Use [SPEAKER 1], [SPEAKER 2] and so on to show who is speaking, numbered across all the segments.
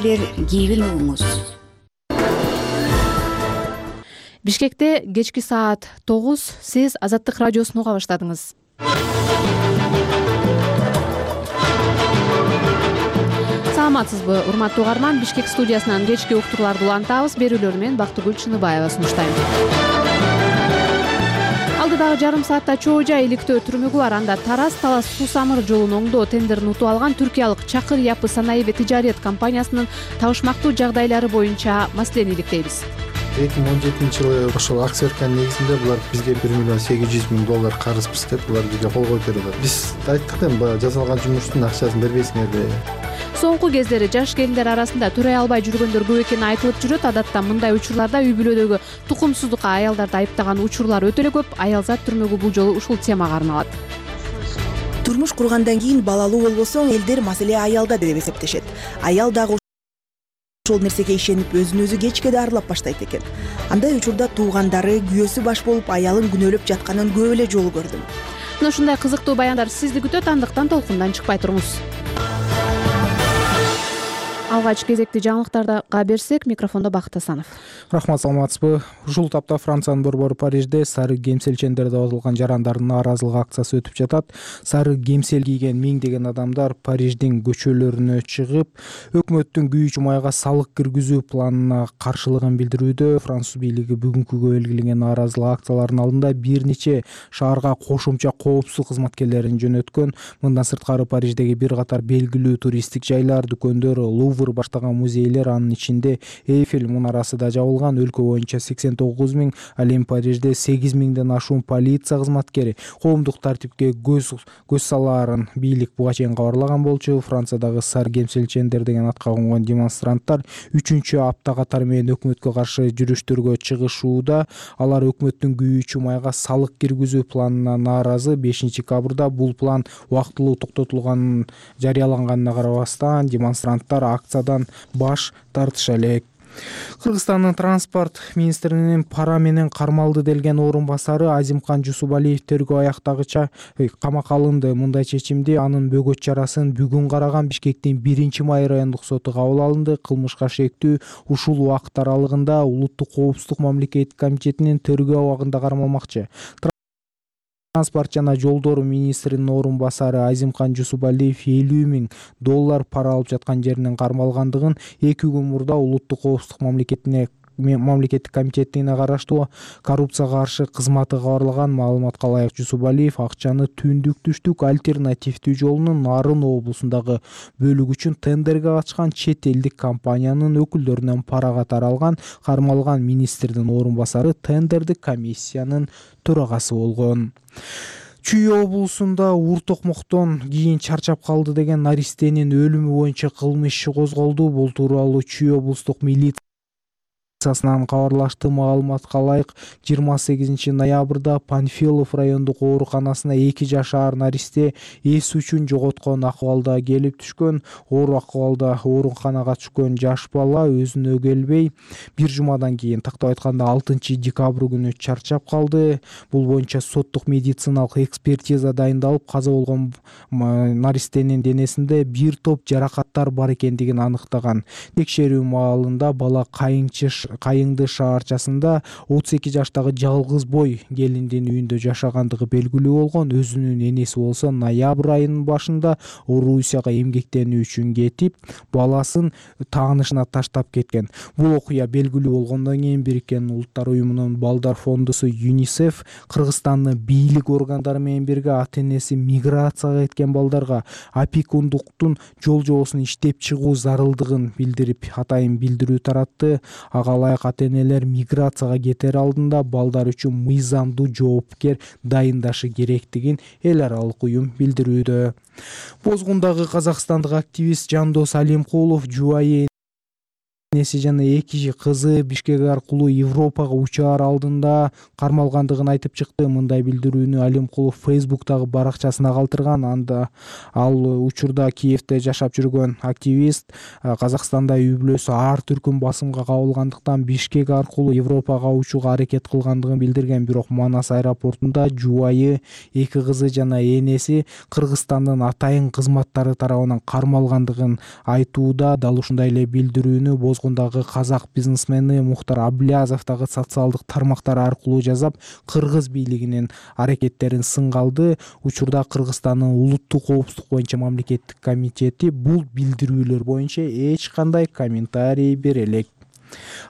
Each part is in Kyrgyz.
[SPEAKER 1] кийгин угуңуз.
[SPEAKER 2] Бишкекте кечки саат 9 сиз Азаттык радиосун уга баштадыңыз. Саламатсызбы, урматтуу угарман? Бишкек студиясынан кечки уктурларды улантабыз. Берүүлөрү менен Бактыгүл Чыныбаева сунуштайм. Алдыдагы жарым саатта чоо жай иликтөө түрмөгү бар. Анда Тараз-Талас суу-самыр жолун оңдоо тендерин утуп алган түркиялык Чакыр Япы санаиби тижарет компаниясынын табышмактуу жагдайлары боюнча маселени иликтейбиз.
[SPEAKER 3] 2017-жылы ошол акция берген негизинде булар бизге $1 миллион $800 карызбыз деп булар бизге кол коюп берди. Биз айттык да, баягы жасалган жумуштун акчасын бербейсиңерби.
[SPEAKER 2] Соңку кездери жаш келиндер арасында төрөй албай жүргөндөр көп экени айтылып жүрөт. Адатта мындай учурларда үй бүлөдөгү тукумсуздукка аялдарды айыптаган учурлар өтө эле көп. Аялзат түрмөгү бул жолу ушул темага арналат.
[SPEAKER 4] Турмуш кургандан кийин балалуу болбосоң, элдер маселе аялда деп эсептешет. Аял дагы ошол нерсеге ишенип өзүн өзү кечке дарылап баштайт экен. Андай учурда туугандары, күйөөсү баш болуп аялын күнөөлөп жатканын көп эле жолу көрдүм.
[SPEAKER 2] Мына ушундай кызыктуу баяндар сизди күтөт, андыктан толкундан чыкпай туруңуз. Алгач кезекти жаңылыктарга берсек, микрофондо Бакыт Асанов.
[SPEAKER 5] Рахмат, саламатсызбы. Ушул тапта Франциянын борбору Парижде сары кемселчендерди отулган жарандардын нааразылык акциясы өтүп жатат. Сары кемсел кийген миңдеген адамдар Париждин көчөлөрүнө чыгып, өкмөттүн күйүүчү майга салык киргизүү планына каршылыгын билдирүүдө. Француз бийлиги бүгүнкүгө белгиленген нааразылык акцияларынын алдында бир нече шаарга кошумча коопсуздук кызматкерлерин жөнөткөн. Мындан сырткары Париждеги бир катар белгилүү туристтик жайлар, дүкөндөр, Лувр баштаган музейлер, анын ичинде Эйфель мунарасы да жабылган. Өлкө боюнча 89 000, ал эми Парижде 8 000ден ашуун полиция кызматкери коомдук тартипке көз салаарын бийлик буга чейин кабарлаган болчу. Франциядагы сары кемселчендер деген атка конгон демонстранттар 3-чү апта катары менен өкмөткө каршы жүрүштөргө чыгышууда. Алар өкмөттүн күйүүчү майга салык киргизүү планына нааразы. 5-декабрда бул план убактылуу токтотулганын жарыяланганына карабастан демонстранттар акциядан баш тартыша элек. Кыргызстандын транспорт министринин пара менен кармалды делген орун басары Азимкан Жусубалиев тергөө аяктагыча камакка алынды. Мындай чечимди анын бөгөт чарасын бүгүн караган Бишкектин 1-май райондук соту кабыл алынды. Кылмышка шектүү ушул убакыт аралыгында Улуттук коопсуздук мамлекеттик комитетинин тергөө абагында кармалмакчы. Транспорт жана жолдор министринин орун басары Азимкан Жусубалиев $50 000 пара алып жаткан жеринен кармалгандыгын 2 күн мурда Улуттук коопсуздук мамлекеттик комитетине караштуу коррупцияга каршы кызматы кабарлаган. Маалыматка ылайык, Жусубалиев акчаны Түндүк-Түштүк альтернативдүү жолунун Нарын облусундагы бөлүгү үчүн тендерге катышкан чет элдик компаниянын өкүлдөрүнөн пара катары алган. Кармалган министрдин орун басары тендердик комиссиянын төрагасы болгон. Чүй облусунда ур-токмоктон кийин чарчап калды деген наристенин өлүмү боюнча кылмыш иши козголду. Бул тууралуу Чүй облустук милициясынан кабарлашты. Маалыматка ылайык, 28 ноябрда Панфилов райондук ооруканасына 2 жашар наристе эс үчүн жоготкон акыбалда келип түшкөн. Оор акыбалда ооруканага түшкөн жаш бала өзүнө келбей, бир жумадан кийин, тактап айтканда 6 декабрь күнү чарчап калды. Бул боюнча соттук медициналык экспертиза дайындалып, каза болгон наристенин денесинде бир топ жаракаттар бар экендигин аныктаган. Текшерүү маалында бала Кайыңды шаарчасында 32 жаштагы жалгыз бой келиндин үйүндө жашагандыгы белгилүү болгон. Өзүнүн энеси болсо ноябрь айынын башында Орусияга эмгектенүү үчүн кетип, баласын таанышына таштап кеткен. Бул окуя белгилүү болгондон кийин Бириккен Улуттар уюмунун балдар фондусу ЮНИСЕФ Кыргызстандын бийлик органдары менен бирге ата-энеси миграцияга кеткен балдарга опекундуктун жол-жобосун иштеп чыгуу зарылдыгын билдирип, атайын билдирүү таратты. Ага ылайык ата-энелер миграцияга кетер алдында балдар үчүн мыйзамдуу жоопкер дайындашы керектигин эл аралык уюм билдирүүдө. Бозгундагы казакстандык активист Жандос Алимкулов жубайы энеси жана 2 кызы Бишкек аркылуу Европага учаар алдында кармалгандыгын айтып чыкты. Мындай билдирүүнү Алимкулов Facebook'тагы баракчасына калтырган. Анда ал учурда Киевде жашап жүргөн активист Казакстанда үй бүлөсү ар түркүм басымга кабылгандыктан Бишкек аркылуу Европага учууга аракет кылгандыгын билдирген. Бирок Манас аэропортунда жубайы, 2 кызы жана энеси Кыргызстандын атайын кызматтары тарабынан кармалгандыгын айтууда. Дал ушундай эле билдирүүнү Бозгундагы казак бизнесмени Мухтар Аблязов дагы социалдык тармактар аркылуу жазап, кыргыз бийлигинин аракеттерин сынга алды. Учурда Кыргызстандын улуттук коопсуздук боюнча мамлекеттик комитети бул билдирүүлөр боюнча эч кандай комментарий бере элек.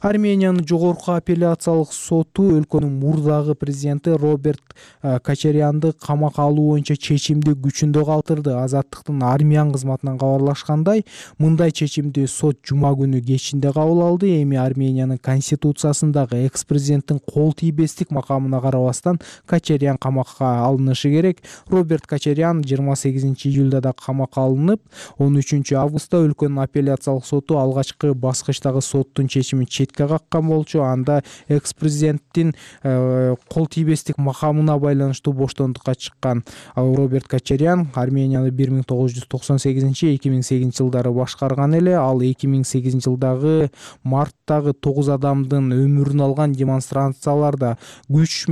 [SPEAKER 5] Армениянын жогорку апелляциялык соту өлкөнүн мурдагы президенти Роберт Кочарянды камакка алуу боюнча чечимди күчүндө калтырды. Азаттыктын армиян кызматынан кабарлашкандай, мындай чечимди сот жума күнү кечинде кабыл алды. Эми Армениянын конституциясындагы экс-президенттин кол тийбестик макамына карабастан Кочарян камакка алынышы керек. Роберт Кочарян 28 июлда да камакка алынып, 13 августта өлкөнүн апелляциялык соту алгачкы баскычтагы соттун чечимин четке каккан болчу. Анда экс-президенттин кол тийбестик макамына байланыштуу боштондукка чыккан Роберт Кочарян Арменияны 1998-2008 жылдары башкарган эле. Ал 2008 жылдагы марттагы 9 адамдын өмүрүн алган демонстрацияларда күч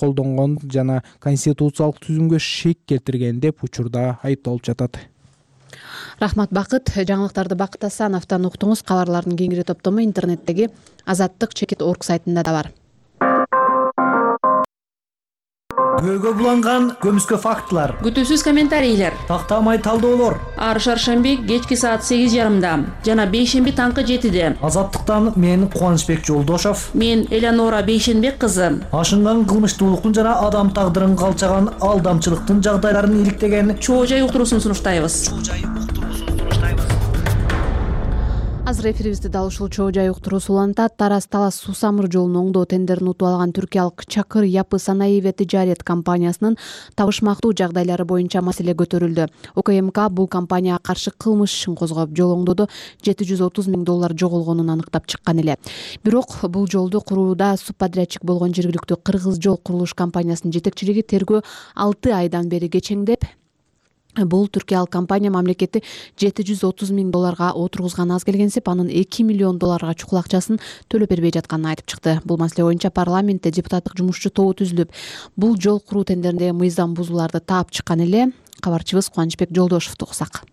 [SPEAKER 5] колдонгон жана конституциялык түзүмгө шек келтирген деп учурда айыпталып жатат.
[SPEAKER 2] Рахмат Бакыт. Жаңылыктарды Бакыт Асановдон уктуңуз. Кабарлардын кеңири топтому интернеттеги azattik.org сайтында да бар.
[SPEAKER 1] Күбөгө буланган көмүскө фактылар,
[SPEAKER 6] күтүүсүз комментарийлер,
[SPEAKER 1] тактамай талдоолор
[SPEAKER 6] ар шаршемби кечки саат 8:30 жана бейшемби таңкы 7:00.
[SPEAKER 1] Азаттыктан мен Кубанычбек Жолдошов,
[SPEAKER 6] мен Элеонора Бейшенбек кызы.
[SPEAKER 1] Ашынган кылмыштуулуктун жана адам тагдырын калчаган алдамчылыктын жагдайларын иликтеген
[SPEAKER 6] Чоо жай уктуруусун сунуштайбыз.
[SPEAKER 2] Азыр эфирибизди дал ушул чоо жай уктуруусу улантат. Тараз-Талас суу-самыр жолун оңдоо тендерин утуп алган түркиялык Чакыр Япы Санаеве тижарет компаниясынын табышмактуу жагдайлары боюнча маселе көтөрүлдү. УКМК бул компанияга каршы кылмыш ишин козгоп, жол оңдоодо $730 000 жоголгонун аныктап чыккан эле. Бирок бул жолду курууда субподрядчик болгон жергиликтүү Кыргыз жол курулуш компаниясынын жетекчилиги тергөө 6 айдан бери кечеңдеп, бул түркиялык компания мамлекетти $730 000 отургузган аз келгенсип, анын $2 миллион чукул акчасын төлөп бербей жатканын айтып чыкты. Бул маселе боюнча парламентте депутаттык жумушчу тобу түзүлүп, бул жол куруу тендериндеги мыйзам бузууларды таап чыккан эле. Кабарчыбыз Кубанычбек Жолдошовду уксак.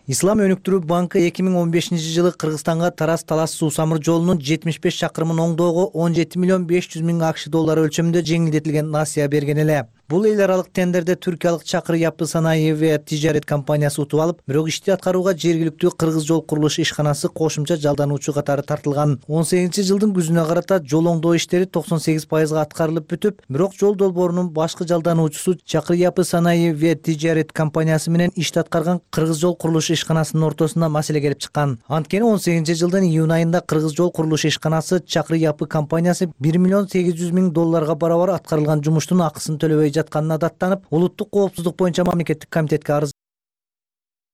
[SPEAKER 1] Ислам өнүктүрүү банкы 2015 жылы Кыргызстанга Тараз-Талас суу-самыр жолунун 75 чакырымын оңдоого $17 миллион $500 000 өлчөмүндө жеңилдетилген насыя берген эле. Бул эл аралык тендерде түркиялык Чакыр Япы Санаеве тижарет компаниясы утуп алып, бирок ишти аткарууга жергиликтүү Кыргыз жол курулуш ишканасы кошумча жалдануучу катары тартылган. 18 жылдын күзүнө карата жол оңдоо иштери 98% аткарылып бүтүп, бирок жол долбоорунун башкы жалдануучусу Чакыр Япы Санаеве тижарет компаниясы менен ишти аткарган Кыргыз жол курулуш ишканасынын ортосунда маселе келип чыккан. Анткени 18 жылдын июнь айында Кыргыз жол курулуш ишканасы Чакыр Япы компаниясы $1 миллион $800 000 барабар аткарылган жумуштун акысын төлөбөй жатканына даттанып, улуттук коопсуздук боюнча мамлекеттик комитетке арыз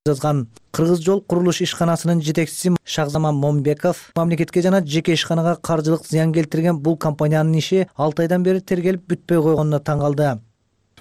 [SPEAKER 1] жазган. Кыргыз жол курулуш ишканасынын жетекчиси Шахзаман Момбеков мамлекетке жана жеке ишканага каржылык зыян келтирген бул компаниянын иши 6 айдан бери тергелип бүтпөй койгонуна таң калды.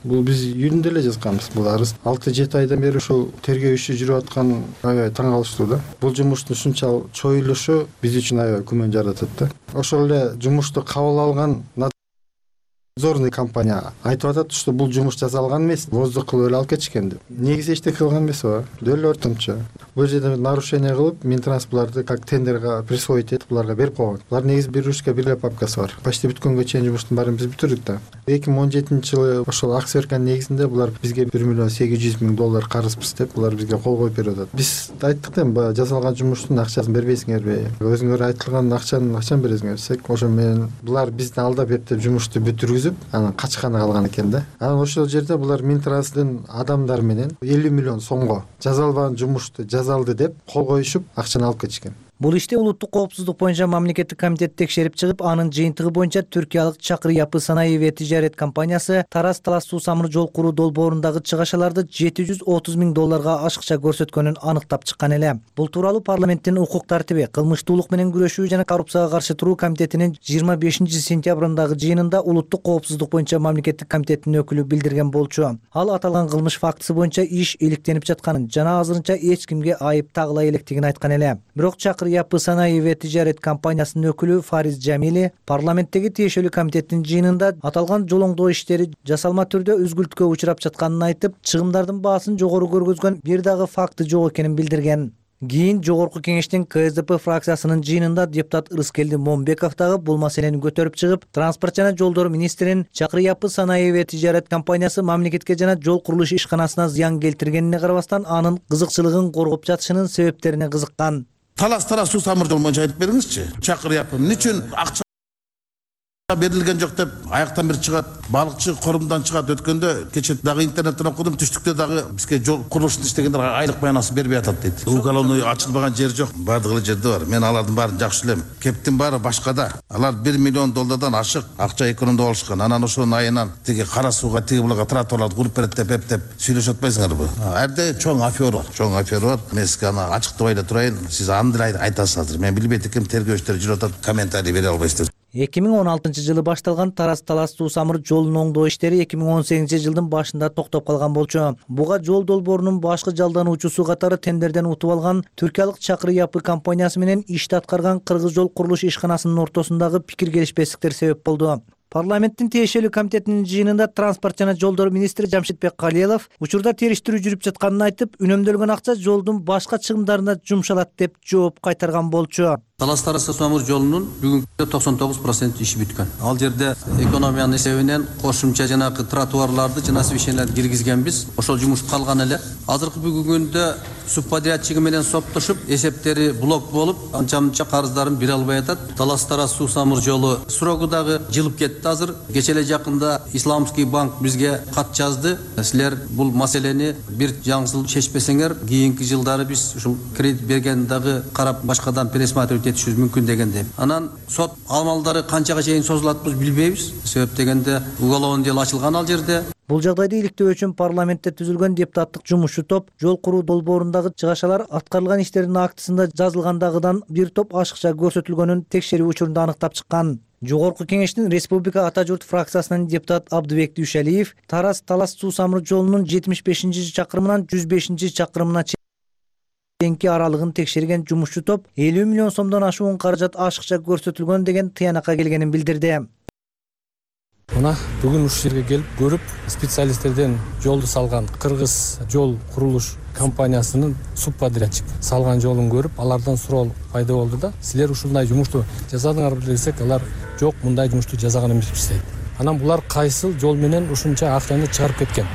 [SPEAKER 3] Бул биз июнда эле жазганбыз бул арыз. 6-7 айдан бери ушул тергөө иши жүрүп аткан аябай таң калыштуу да. Бул жумуштун ушунча чоюлушу биз үчүн аябай күмөн жаратат да. Ошол эле жумушту кабыл алган надзорный компания айтып атат, что бул жумуш жасалган эмес, воздух кылып эле алып кетишкен деп. Негизи эчтеке кылган эмес ооба. Дөөлө ортомчо. Бул жерде нарушение кылып, Минтранс буларды как тендерге присвоить этип буларга берип койгон. Булар негизи бир ручка бир эле папкасы бар. Почти бүткөнгө чейин жумуштун баарын биз бүтүрдүк да. 2017 жылы ошол ак сверканын негизинде булар бизге $1 миллион $800 000 карызбыз деп булар бизге кол коюп берип атат. Биз айттык да, баягы жасалган жумуштун акчасын бербейсиңерби? Өзүңөр айтылган акчаны бересиңер десек, ошо менен булар бизди алдап эптеп жумушту бүтүргүзүп, анан качканы калган экен да. Анан ошол жерде булар Минтранстын адамдары менен $50 миллион сомго жазалбаган жумушту жазалды деп кол коюшуп акчаны алып кетишкен.
[SPEAKER 1] Бул иште улуттук коопсуздук боюнча мамлекеттик комитет текшерип чыгып, анын жыйынтыгы боюнча түркиялык Чакыр Япы санаи ва тижарет компаниясы Тараз Талас суу самыр жол куруу долбоорундагы чыгашаларды $730 000 ашыкча көрсөткөнүн аныктап чыккан эле. Бул тууралуу парламенттин укук тартиби, кылмыштуулук менен күрөшүү жана коррупцияга каршы туруу комитетинин 25 сентябрындагы жыйынында улуттук коопсуздук боюнча мамлекеттик комитеттин өкүлү билдирген болчу. Ал аталган кылмыш фактысы боюнча иш иликтенип жатканын жана азырынча эч кимге айып тагыла электигин айткан эле. Бирок Чакыр Япы санаи ва тижарет компаниясынын өкүлү Фариз Жамили парламенттеги тиешелүү комитеттин жыйынында аталган жол оңдоо иштери жасалма түрдө үзгүлтүккө учурап жатканын айтып, чыгымдардын баасын жогору көргөзгөн бир дагы факты жок экенин билдирген. Кийин Жогорку кеңештин КСДП фракциясынын жыйынында депутат Ырыскелди Момбеков дагы бул маселени көтөрүп чыгып, транспорт жана жолдор министринин Чакыр Япы санаи ва тижарет компаниясы мамлекетке жана жол курулуш ишканасына зыян келтиргенине карабастан анын кызыкчылыгын коргоп жатышынын себептерине кызыккан.
[SPEAKER 7] Талас суу самыр жол боюнча айтып бериңизчи. Чакыр Япы эмне үчүн акча берилген жок деп аяктан бир чыгат, балыкчы корумдан чыгат. Өткөндө кече дагы интернеттен окудум, түштүктө дагы бизге жол курулушун иштегендер айлык баянасын бербей атат дейт. Уголовный ачылбаган жер жок, бардыгы эле жерде бар. Мен алардын баарын жакшы билем. Кептин баары башкада. Алар $1 миллион ашык акча экономдоп алышкан. Анан ошонун айынан тиги кара сууга, тиги булага тротуарларды куруп берет деп сүйлөшүп атпайсыңарбы? Эрде чоң афера бар. Мен сизге аны ачыктабай эле турайын. Сиз аны деле айтасыз азыр. Мен билбейт экенмин, тергөөчтөр жүрүп атат, комментарий бере албайсыздар.
[SPEAKER 1] 2016-жылы башталган Тараз Талас суу самыр жолунун оңдоо иштери 2018-жылдын башында токтоп калган болчу. Буга жол долбоорунун башкы жалдануучусу катары тендерден утуп алган түркиялык Чакыр Япы компаниясы менен ишти аткарган Кыргыз жол курулуш ишканасынын ортосундагы пикир келишпестиктер себеп болду. Парламенттин тиешелүү комитетинин жыйынында транспорт жана жолдор министри Жамшитбек Калиелов учурда териштирүү жүрүп жатканын айтып, үнөмдөлгөн акча жолдун башка чыгымдарына жумшалат деп жооп кайтарган болчу.
[SPEAKER 8] Талас Тараз суу самыр жолунун бүгүнкү 99% иши бүткөн. Ал жерде экономиянын эсебинен кошумча жанагы тротуарларды жана освещенияларды киргизгенбиз. Ошол жумуш калган эле. Азыркы бүгүнкү күндө субподрядчиги менен соттошуп, эсептери блок болуп, анча-мынча карыздарын бере албай атат. Талас Тараз суу самыр жолу срогу дагы жылып кетти азыр. Кече эле жакында Исламский банк бизге кат жазды. Силер бул маселени бир жаңсыл чечпесеңер, кийинки жылдары биз ушул кредит берген дагы карап башкадан пересматривать етишибиз мүмкүн деген деп. Анан сот амалдары канчага чейин созулат билбейбиз. Себеп дегенде уголовный дело ачылган ал жерде.
[SPEAKER 1] Бул жагдайды иликтөө үчүн парламентте түзүлгөн депутаттык жумушчу топ жол куруу долбоорундагы чыгашалар аткарылган иштердин актысында жазылгандагыдан бир топ ашыкча көрсөтүлгөнүн текшерүү учурунда аныктап чыккан. Жогорку кеңештин Республика Ата журт фракциясынын депутат Абдыбек Дүйшалиев Тараз Талас суу самыр жолунун 75-чакырымынан 105-чакырымына чейинки аралыгын текшерген жумушчу топ 50 миллион сомдон ашуун каражат ашыкча көрсөтүлгөн деген тыянакка келгенин билдирди.
[SPEAKER 9] Мына бүгүн ушул жерге келип көрүп, специалисттерден жолду салган Кыргыз жол курулуш компаниясынын субподрядчик салган жолун көрүп, алардан суроо пайда болду да, силер ушундай жумушту жасадыңарбы десек, алар жок, мындай жумушту жасаган эмеспиз дейт. Анан булар кайсыл жол менен ушунча акчаны чыгарып кеткен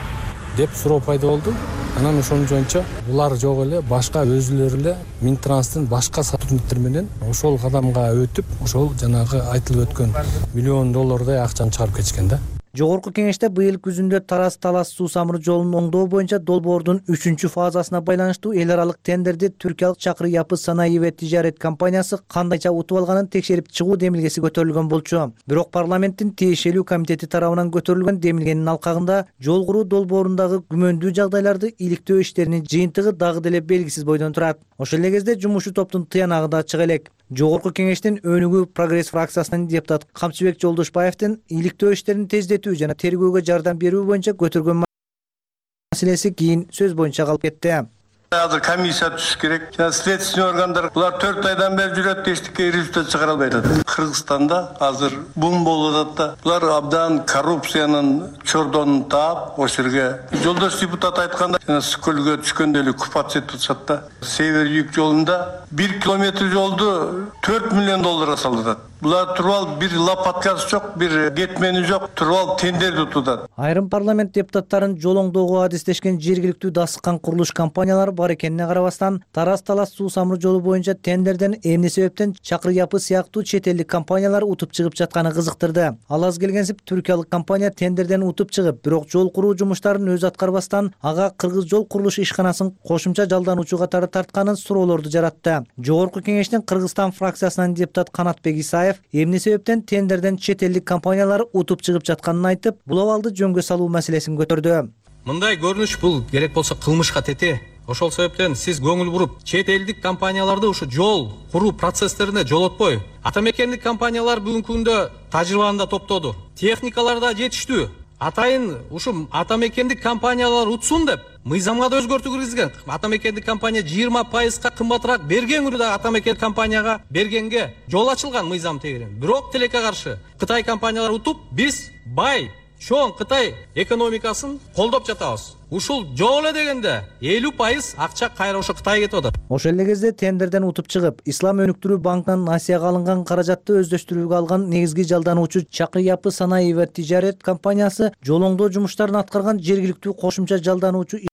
[SPEAKER 9] деп суроо пайда болду. Анан ошонун жоюнча булар жок эле, башка өзүлөрү эле Минтранстын башка сотрудниктер менен ошол кадамга өтүп, ошол жанагы айтылып өткөн $1 миллион акчаны чыгарып кетишкен да.
[SPEAKER 1] Жогорку кеңеште быйыл күзүндө Тараз Талас суу самыр жолунун оңдоо боюнча долбоордун 3-чү фазасына байланыштуу эл аралык тендерди түркиялык Чакыр Япы санаи ва тижарет компаниясы кандайча утуп алганын текшерип чыгуу демилгеси көтөрүлгөн болчу. Бирок парламенттин тиешелүү комитети тарабынан көтөрүлгөн демилгенин алкагында жол куруу долбоорундагы күмөндүү жагдайларды иликтөө иштеринин жыйынтыгы дагы деле белгисиз бойдон турат. Ошол эле кезде жумушчу топтун тыянагы да чыга элек. Жогорку кеңештин өнүгүү прогресс фракциясынын депутаты Камчыбек Жолдошбаевдин иликтөө иштерин тездетүү жана тергөөгө жардам берүү боюнча көтөргөн маселеси кийин сөз боюнча калып кетти.
[SPEAKER 10] Азыр комиссия түшүш керек. Жана следственный органдар булар 4 айдан бери жүрөт, эчтеке результат чыгара албай атат. Кыргызстанда азыр бум болуп атат да. Булар абдан коррупциянын чордонун таап, ошол жерге жолдош депутат айтканда, жана скөлгө түшкөндө эле купация этишат да. Север-юг жолунда 1 километр жолду $4 миллион салдырат. Булар туруп бир лопаткасы жок, бир кетмени жок, туруп тендерди утудат.
[SPEAKER 1] Айрым парламент депутаттарын жол оңдоого адистешкен жергиликтүү дасыккан курулуш компаниялар бар экенине карабастан Тараз Талас суу самыр жолу боюнча тендерден эмне себептен Чакыр Япы сыяктуу чет элдик компаниялар утуп чыгып жатканы кызыктырды. Ал аз келгенсип түркиялык компания тендерден утуп чыгып, бирок жол куруу жумуштарын өзү аткарбастан ага кыргыз жол курулуш ишканасын кошумча жалдануучу катары тартканын суроолорду жаратты. Жогорку кеңештин Кыргызстан фракциясынан депутат Канатбек Исаев эмне себептен тендерден чет элдик компаниялар утуп чыгып жатканын айтып, бул абалды жөнгө салуу маселесин көтөрдү.
[SPEAKER 11] Мындай көрүнүш бул керек болсо кылмышка тете. Ошол себептен сиз көңүл буруп, чет элдик компанияларды ушу жол куруу процесстерине жолотпой, ата мекендик компаниялар бүгүнкү күндө тажрыйбаны да топтоду. Техникалар да жетиштүү. Атайын ушу ата мекендик компаниялар утсун деп мыйзамга да өзгөртүү киргизген. Ата мекендик компания 20%га кымбатыраак берген күнү да ата мекендик компанияга бергенге жол ачылган мыйзам тегерен. Бирок тилекке каршы Кытай компаниялар утуп, биз бай чоң Кытай экономикасын колдоп жатабыз. Ушул жол эле дегенде 50% акча кайра ошо Кытайга кетип атат.
[SPEAKER 1] Ошол эле кезде тендерден утуп чыгып, Ислам өнүктүрүү банкынан насыяга алынган каражатты өздөштүрүүгө алган негизги жалдануучу Чакыр Япы санаий ва тижарет компаниясы жол оңдоо жумуштарын аткарган жергиликтүү кошумча жалдануучу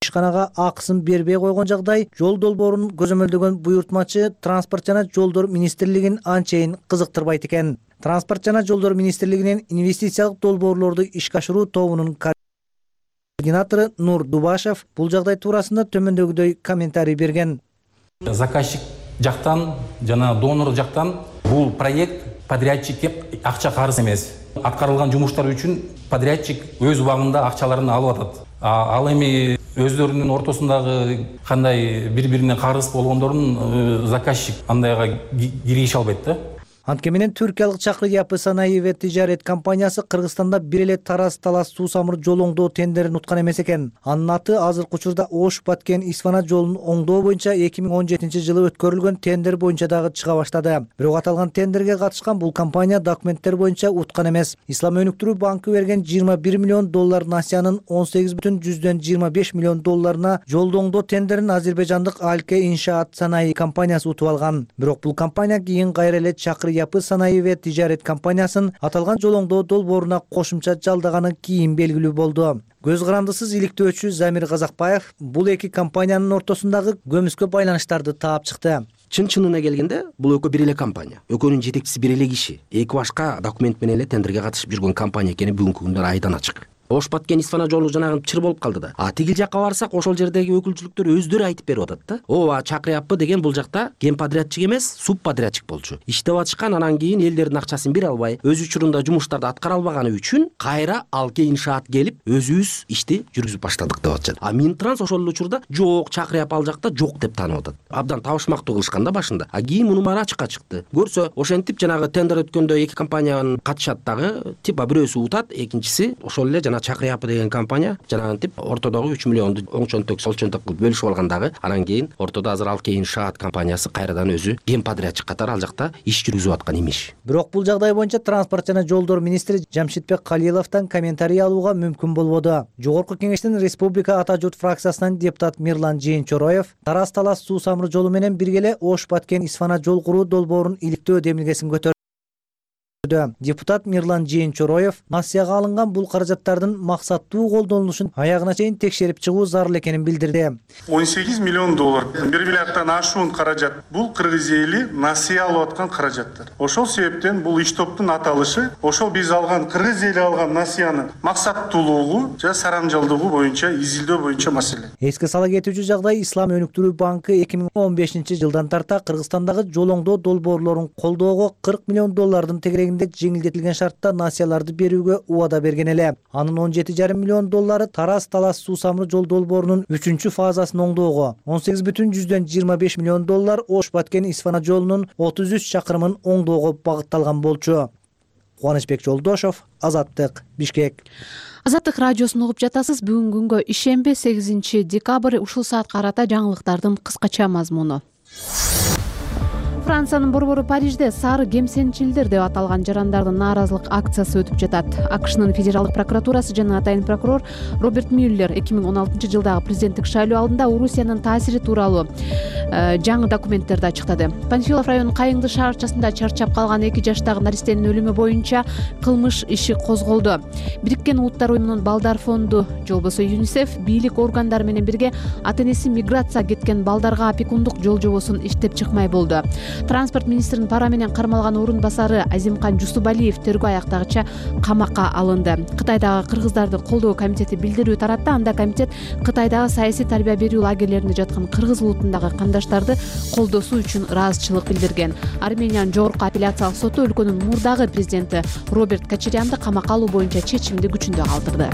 [SPEAKER 1] ишканага акысын бербей койгон жагдай жол долбоорун көзөмөлдөгөн буйртмачы Транспорт жана жолдор министрлигин анчейин кызыктырбайт экен. Транспорт жана жолдор министрлигинин инвестициялык долбоорлорду ишке ашыруу тобунун координатору Нур Дубашев бул жагдай туурасында төмөндөгүдөй комментарий берген.
[SPEAKER 12] Заказчик жактан жана донор жактан бул проект подрядчикке акча карыз эмес. Аткарылган жумуштар үчүн подрядчик өз убагында акчаларын алып атат. Ал эми өздөрүнүн ортосундагы кандай бири-бирине карыз болгондорун заказчик андайга киргише албайт да.
[SPEAKER 1] Анткени менен түркиялык Чакыр Япы санаий ва тижарет компаниясы Кыргызстанда бир эле Тараз Талас суу самыр жол оңдоо тендерин уткан эмес экен. Анын аты азыркы учурда Ош Баткен Исфана жолун оңдоо боюнча 2017-жылы өткөрүлгөн тендер боюнча дагы чыга баштады. Бирок аталган тендерге катышкан бул компания документтер боюнча уткан эмес. Ислам өнүктүрүү банкы берген $21 миллион насыянын $18,25 миллион жолду оңдоо тендерин азербайжандык Алке Иншаат санаий компаниясы утуп алган. Бирок бул компания кийин кайра эле Чакыр Япы санаий ва тижарет компаниясын аталган жол оңдоо долбооруна кошумча жалдаганы кийин белгилүү болду. Көз карандысыз иликтөөчү Замир Казакбаев бул эки компаниянын ортосундагы көмүскө байланыштарды таап чыкты.
[SPEAKER 13] Чын-чынына келгенде бул экөө бир эле компания. Экөөнүн жетекчиси бир эле киши. Эки башка документ менен эле тендерге катышып жүргөн компания экени бүгүнкү күндө айдан ачык. Ош Баткен Исфана жолу жанагы чыр болуп калды да. Тигил жакка барсак ошол жердеги өкүлчүлүктөр өздөрү айтып берип атат да. Ооба Чакыр Япы деген бул жакта генподрядчик эмес, субподрядчик болчу. Иштеп атышкан, анан кийин элдердин акчасын бере албай, өз учурунда жумуштарды аткара албаганы үчүн кайра Алке Иншаат келип, өзүбүз ишти жүргүзүп баштадык деп атышат. Минтранс ошол эле учурда жок, Чакыр Япы ал жакта жок деп таанып атат. Абдан табышмактуу кылышкан да башында. Кийин мунун баары ачыкка чыкты. Көрсө, ошентип жанагы тендер өткөндө эки компания катышат дагы, типа бирөөсү утат, экинчиси ошол эле жана Чакыр Япы деген компания жанагынтип ортодогу 3 миллионду оңчонток солчонток кылып бөлүшүп алгандагы, анан кийин ортодо азыр Алке Иншаат компаниясы кайрадан өзү генподрядчик катары ал жакта иш жүргүзүп аткан имиш.
[SPEAKER 1] Бирок бул жагдай боюнча Транспорт жана жолдор министри Жамшитбек Калиловдон комментарий алууга мүмкүн болбоду. Жогорку кеңештин Республика Ата журт фракциясынан депутат Мирлан Жээнчороев Тараз Талас суу самыр жолу менен бирге эле Ош Баткен Исфана жол куруу долбоорун иликтөө демилгесин көтөрдү. Депутат Мирлан Жээнчороев насыяга алынган бул каражаттардын максаттуу колдонулушун аягына чейин текшерип чыгуу зарыл экенин билдирди.
[SPEAKER 14] $18 миллион, 1 миллиарддан ашуун каражат. Бул кыргыз эли насыя алып аткан каражаттар. Ошол себептен бул иш топтун аталышы ошол биз алган кыргыз эли алган насыянын максаттуулугу жана сарамжалдыгы боюнча изилдөө боюнча маселе.
[SPEAKER 1] Эске сала кетүүчү жагдай Ислам өнүктүрүү банкы 2015-жылдан тарта Кыргызстандагы жол оңдоо долбоорлорун колдоого $40 миллион тегерегинде жеңилдетилген шартта насыяларды берүүгө убада берген эле. Анын $17,5 миллион Тараз Талас суу самыр жол долбоорунун 3-чү фазасын оңдоого, $18,25 миллион Ош Баткен Исфана жолунун 33 чакырымын оңдоого багытталган болчу. Кубанычбек Жолдошов, Азаттык, Бишкек.
[SPEAKER 2] Азаттык радиосун угуп жатасыз. Бүгүнкү күнгө ишемби 8 декабрь ушул саатка карата жаңылыктардын кыскача мазмуну. Франциянын борбору Парижде сары кемсенчилдер деп аталган жарандардын нааразылык акциясы өтүп жатат. АКШнын федералдык прокуратурасы жана атайын прокурор Роберт Мюллер 2016-жылдагы президенттик шайлоо алдында Орусиянын таасири тууралуу жаңы документтерди ачыктады. Панфилов районунун Кайыңды шаарчасында чарчап калган 2 жаштагы наристенин өлүмү боюнча кылмыш иши козголду. Бириккен Улуттар уюмунун балдар фонду же болбосо ЮНИСЕФ бийлик органдары менен бирге ата-энеси миграция кеткен балдарга опекундук жол жобосун иштеп чыкмай болду. Транспорт министринин пара менен кармалган орун басары Азимкан Жусубалиев тергөө аяктагыча камакка алынды. Кытайдагы кыргыздарды колдоо комитети билдирүү таратты. Анда комитет Кытайдагы саясий тарбия берүү лагерлеринде жаткан кыргыз улутундагы кандаштарды колдоосу үчүн ыраазычылык билдирген. Армениянын жогорку апелляциялык соту өлкөнүн мурдагы президенти Роберт Кочарянды камакка алуу боюнча чечимди күчүндө калтырды.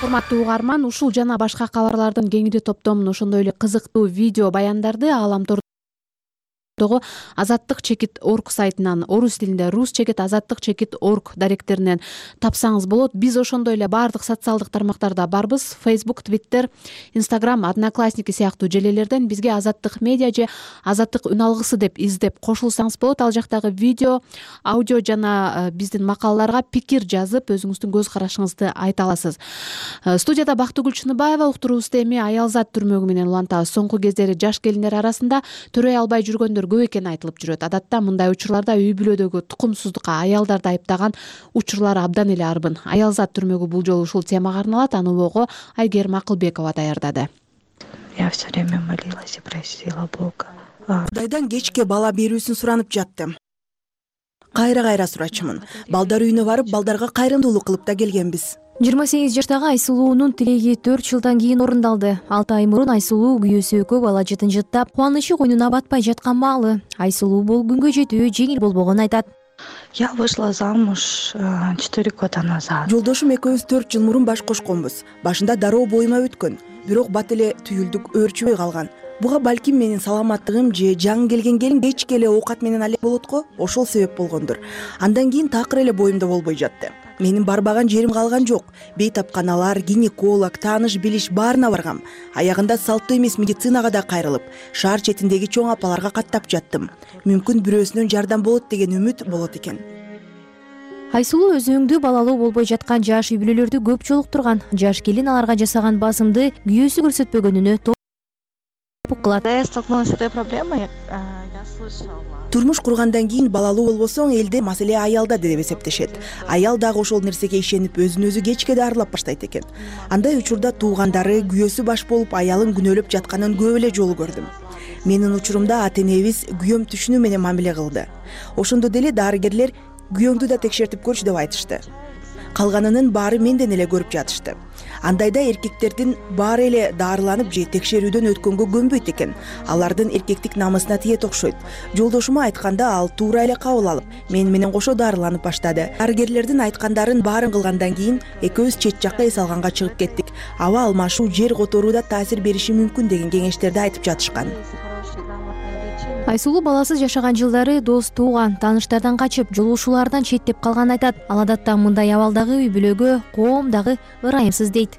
[SPEAKER 2] Урматтуу угарман, ушул жана башка кабарлардын кеңири топтомун, ошондой эле кызыктуу видео баяндарды Ааламтордогу Азаттык чекит орг сайтынан, орус тилинде рус чекит азаттык чекит орг даректеринен тапсаңыз болот. Биз ошондой эле баардык социалдык тармактарда барбыз. Facebook, Twitter, Instagram, Одноклассники сыяктуу желелерден бизге Азаттык медиа же Азаттык үн алгысы деп издеп кошулсаңыз болот. Ал жактагы видео, аудио жана биздин макалаларга пикир жазып, өзүңүздүн көз карашыңызды айта аласыз. Студияда Бактыгүл Чыныбаева, уктуруубузду эми Аялзат түрмөгү менен улантабыз. Соңку кездери жаш келиндер арасында төрөй албай жүргөндөр көп экени айтылып жүрөт. Адатта мындай учурларда үй бүлөдөгү тукумсуздукка аялдарды айыптаган учурлар абдан эле арбын. Аялзат түрмөгү бул жолу ушул темага арналат. Аны улоого Айгерим Акылбекова даярдады.
[SPEAKER 15] Я все время молилась и просила Бога.
[SPEAKER 4] Кудайдан кечке бала берүүсүн суранып жаттым. Кайра сурачымын. Балдар үйүнө барып, балдарга кайрымдуулук кылып да келгенбиз.
[SPEAKER 16] 28 жаштагы Айсулуунун тилеги 4 жылдан кийин орундалды. 6 ай мурун Айсулуу күйөөсү экөө бала жытынжыттап, кубанычы койнуна батпай жаткан маалы. Айсулуу бул күнгө жетүү жеңил болбогонун айтат.
[SPEAKER 15] Я вышла замуж 4 года назад.
[SPEAKER 4] Жолдошум экөөбүз 4 жыл мурун баш кошконбуз. Башында дароо боюма өткөн, бирок бат эле түйүлдүк өөрчүбөй калган. Буга балким менин саламаттыгым же жаңы келген келин кечке эле оокат менен алек болот го, ошол себеп болгондур. Андан кийин такыр эле боюмда болбой жатты. Менин барбаган жерим калган жок. Бейтапканалар, гинеколог, тааныш билиш баарына баргам. Аягында салттуу эмес медицинага да кайрылып, шаар четиндеги чоң апаларга каттап жаттым. Мүмкүн бирөөсүнөн жардам болот деген үмүт болот экен.
[SPEAKER 16] Айсулуу өзүңдүү балалуу болбой жаткан жаш үй бүлөлөрдү көп жолуктурган. Жаш келин аларга жасаган басымды күйөөсү көрсөтпөгөнүнө
[SPEAKER 15] Я столкнулась с этой проблемой, я слышала.
[SPEAKER 4] Турмуш кургандан кийин балалуу болбосоң, элде маселе аялда деп эсептешет. Аял дагы ошол нерсеге ишенип, өзүн өзү кечке дарылап баштайт экен. Андай учурда туугандары күйөөсү баш болуп аялын күнөөлөп жатканын көп эле жолу көрдүм. Менин учурумда ата-энебиз күйөөм түшүнүү менен мамиле кылды. Ошондо деле дарыгерлер күйөөңдү да текшертип көрчү деп айтышты. Калганынын баары менден эле көрүп жатышты. Андайда эркектердин баары эле дарыланып же текшерүүдөн өткөнгө көнбөйт экен. Алардын эркектик намысына тиет окшойт. Жолдошума айтканда ал туура эле кабыл алып, мен менен кошо дарыланып баштады. Дарыгерлердин айткандарын баарын кылгандан кийин экөөбүз чет жакка эс алганга чыгып кеттик. Аба алмашуу, жер которууда таасир бериши мүмкүн деген кеңештерди айтып жатышкан.
[SPEAKER 16] Айсулуу баласыз жашаган жылдары дос, тууган, тааныштардан качып, жолугушуулардан четтеп калганын айтат. Ал адатта мындай абалдагы үй бүлөгө коом дагы ырайымсыз дейт.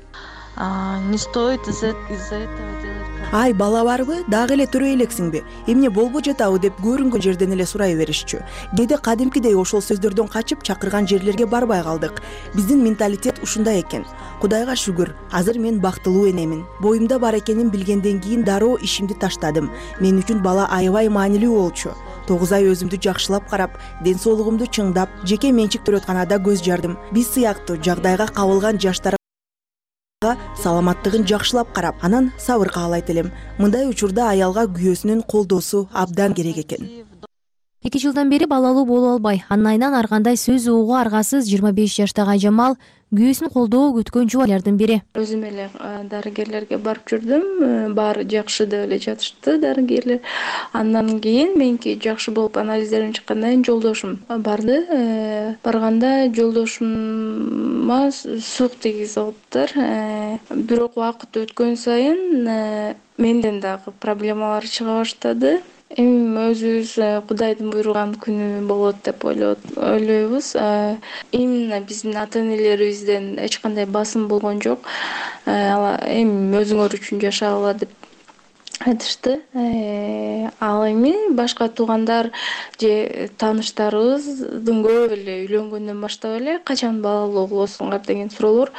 [SPEAKER 15] Не стоит из-за этого делать.
[SPEAKER 4] Ай, бала барбы? Дагы эле төрөй элексиңби? Эмне болбой жатабы деп көрүнгөн жерден эле сурай беришчү. Кээде кадимкидей ошол сөздөрдөн качып чакырган жерлерге барбай калдык. Биздин менталитет ушундай экен. Кудайга шүгүр, азыр мен бактылуу энемин. Боюмда бар экенин билгенден кийин дароо ишимди таштадым. Мен үчүн бала аябай маанилүү болчу. 9 ай өзүмдү жакшылап карап, ден соолугумду чыңдап, жеке менчик төрөтканада көз жардым. Биз сыяктуу жагдайга кабылган жаштар саламаттыгын жакшылап карап, анан сабыр каалайт элем. Мындай учурда аялга күйөөсүнүн колдоосу абдан керек экен.
[SPEAKER 16] 2 жылдан бери балалуу боло албай, анын айынан ар кандай сөз угууга аргасыз 25 жаштагы Айжамал күйөөсүн колдоо күткөн жубайлардын бири.
[SPEAKER 15] Өзүм эле дарыгерлерге барып жүрдүм, баары жакшы деп эле жатышты дарыгерлер. Андан кийин меники жакшы болуп анализдерим чыккандан кийин жолдошум барды. Барганда жолдошума сук тийгизип алыптыр. Бирок убакыт өткөн сайын менден дагы проблемалар чыга баштады. Эми өзүбүз Кудайдын буйруган күнү болот деп ойлойбуз. Именно биздин ата-энелерибизден эч кандай басым болгон жок. Эми өзүңөр үчүн жашагыла деп айтышты. Ал эми башка туугандар же тааныштарыбыздын көп эле үйлөнгөндөн баштап эле качан балалуу болосуңар деген суроолор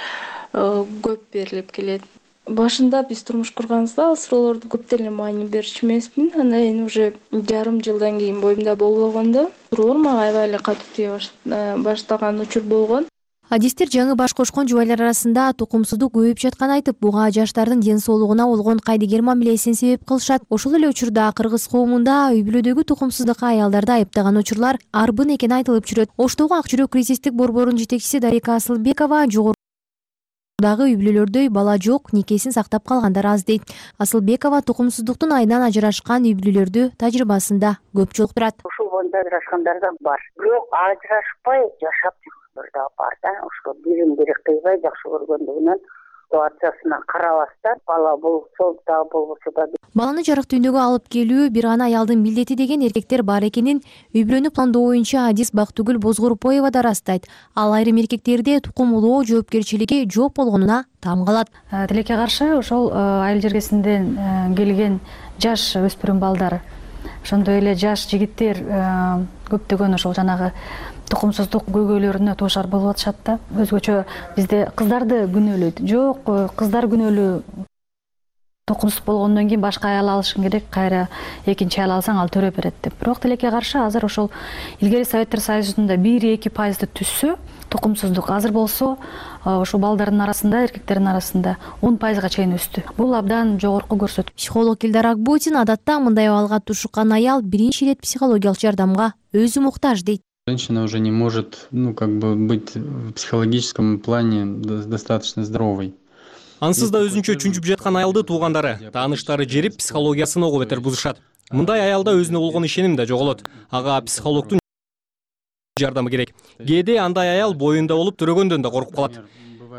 [SPEAKER 15] көп берилип келет. Башында биз турмуш курганыбызда ал суроолорду көп деле маани берчү эмесмин. Анан эми уже жарым жылдан кийин боюмда болуп алганда суроолор мага аябай эле катуу тие баштаган учур болгон.
[SPEAKER 16] Адистер жаңы баш кошкон жубайлар арасында тукумсуздук көбөйүп жатканын айтып, буга жаштардын ден соолугуна болгон кайдыгер мамилесин себеп кылышат. Ошол эле учурда кыргыз коомунда үй бүлөдөгү тукумсуздукка аялдарды айыптаган учурлар арбын экени айтылып жүрөт. Оштогу Ак жүрөк кризистик борборунун жетекчиси Дарика Асылбекова жогорудагы үй бүлөлөрдө бала жок, никесин сактап калгандар аз дейт. Асылбекова тукумсуздуктун айынан ажырашкан үй бүлөлөрдү тажрыйбасында көп жолуктурат.
[SPEAKER 17] Ушул боюнда ажырашкандар да бар. Бирок ажырашпай жашап жүргөндөр да бар да. Ошо бирин-бири кыйбай жакшы көргөндүгүнөн ситуациясына карабастан бала болсо да болбосо да.
[SPEAKER 16] Баланы жарык дүйнөгө алып келүү бир ана аялдын милдети деген эркектер бар экенин үй бүлөнү пландоо боюнча адис Бактыгүл Бозгорупоева да ырастайт. Ал айрым эркектерде тукум улоо жоопкерчилиги жок болгонуна таң калат.
[SPEAKER 18] Тилекке каршы ошол айыл жергесинден келген жаш өспүрүм балдар, ошондой эле жаш жигиттер көптөгөн ошол жанагы тукумсуздук көйгөйлөрүнө туушар болуп атышат да. Өзгөчө бизде кыздарды күнөөлөйт. Жок, кыздар күнөөлүү. Тукумсуз болгондон кийин башка аял алышың керек, кайра экинчи аял алсаң ал төрөп берет деп. Бирок тилекке каршы азыр ошол илгери Советтер Союзунда 1-2% түшсө тукумсуздук, азыр болсо ошол балдардын арасында, эркектердин арасында 10%га чейин өстү. Бул абдан жогорку көрсөткүч.
[SPEAKER 16] Психолог Илдар Акбутин адатта мындай абалга тушуккан аял биринчи ирет психологиялык жардамга өзү муктаж дейт.
[SPEAKER 19] Женщина уже не может, быть в психологическом плане достаточно здоровой.
[SPEAKER 11] Ансыз да өзүнчө чүнчүп жаткан аялды туугандары, тааныштары жерип, психологиясын ого бетер бузушат. Мындай аялда өзүнө болгон ишеним да жоголот. Ага психологдун жардамы керек. Кээде андай аял боюнда болуп төрөгөндөн да коркуп калат.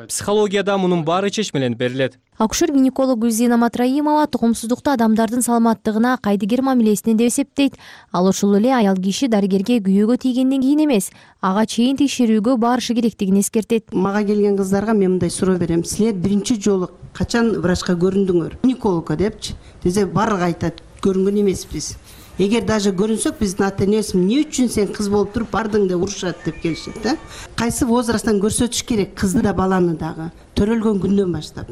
[SPEAKER 11] Психологияда мунун баары чечмеленип берилет.
[SPEAKER 16] Акушер-гинеколог Гүлзина Матраимова тукумсуздукту адамдардын саламаттыгына кайдыгер мамилесинен деп эсептейт. Ал ошол эле аял киши дарыгерге күйөөгө тийгенден кийин эмес, ага чейин текшерүүгө барышы керектигин эскертет.
[SPEAKER 20] Мага келген кыздарга мен мындай суроо берем. Силер биринчи жолу качан врачка көрүндүңөр? Гинекологко депчи. Десе барлыгы айтат, көрүнгөн эмеспиз. Эгер даже көрүнсөк биздин ата-энебиз эмне үчүн сен кыз болуп туруп бардың деп урушат деп келишет да. Кайсы возрасттан көрсөтүш керек кызды да баланы дагы. Төрөлгөн күндөн баштап.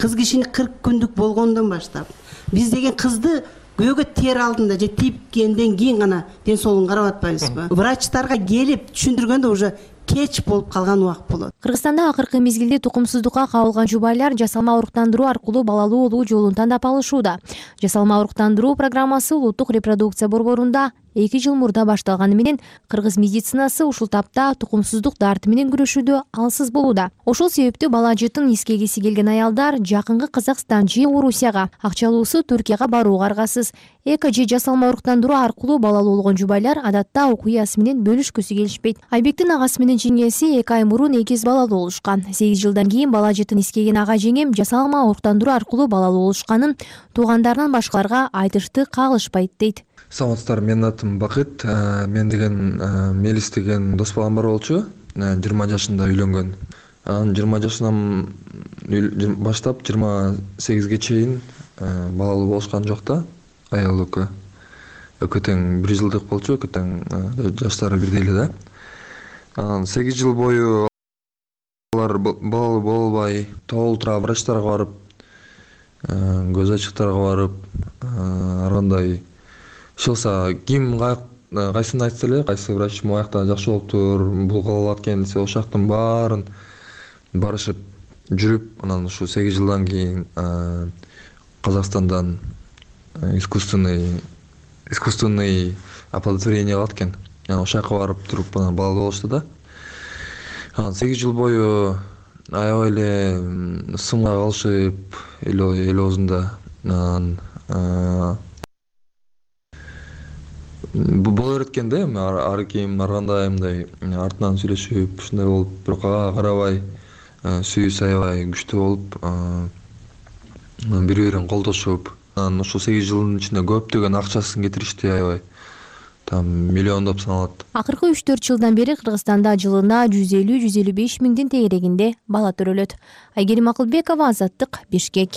[SPEAKER 20] Кыз кишини 40 күндүк болгондон баштап. Биз деген кызды күйөөгө тээр алдында же тийгенден кийин гана ден соолугун карап атпайбызбы? Врачтарга келип түшүндүргөндө уже кеч болуп калган убакыт болот.
[SPEAKER 16] Кыргызстанда акыркы мезгилде тукумсуздукка кабылган жубайлар жасалма уруктандыруу аркылуу балалуу болуу жолун тандап алышууда. Жасалма уруктандыруу программасы улуттук репродукция борборунда 2 жыл мурда башталганы менен кыргыз медицинасы ушул тапта тукумсуздук дарты менен күрөшүүдө алсыз болууда. Ошол себептүү бала жытын нискегиси келген аялдар жакынкы Казакстан же Орусияга, акчалуусу Түркияга барууга аргасыз. Эко же жасалма уруктандыруу аркылуу балалуу болгон жубайлар адатта окуясы менен бөлүшкүсү келишпейт. Айбектин агасы менен жеңеси 2 ай мурун эгиз балалуу болушкан. 8 жылдан кийин бала жытын искеген ага жеңем жасалма уруктандыруу аркылуу балалуу болушканын туугандарынан башкаларга айтышты кагылышпайт дейт.
[SPEAKER 21] Саламатсыздар, менин атым Бакыт. Мен деген Мелис деген дос балам бар болчу. 20 жашында үйлөнгөн. 20 жашынан баштап 28ге чейин балалуу болушкан жок да. Аял экөө тең 1 жылдык болчу, экөө тең жаштары бирдей эле да. 8 жыл бою алар балалуу боло албай, толтура врачтарга барып, көз ачыктарга барып, ар кандай шылса ким кайсын айтса эле, кайсы врач моякта жакшы болуптур, бул кала алат экен десе, ошол жактын баарын барышып жүрүп, анан ушу 8 жылдан кийин Казакстандан искусственный оплодотворение кылат экен. Ошол жака барып туруп балалуу болушту да. 8 жыл бою аябай эле сымга калышып эл оозунда боло берет экен да. Ар ким ар кандай мындай артынан сүйлөшүп ушундай болуп, бирок ага карабай сүйүүсү аябай күчтүү болуп, бири-бирин колдошуп, анан ушул 8 жылдын ичинде көптөгөн акчасын кетиришти аябай. Там миллиондоп саналат.
[SPEAKER 16] Акыркы 3-4 жылдан бери Кыргызстанда жылына 150-155 миңдин тегерегинде бала төрөлөт. Айгерим Акылбекова, Азаттык, Бишкек.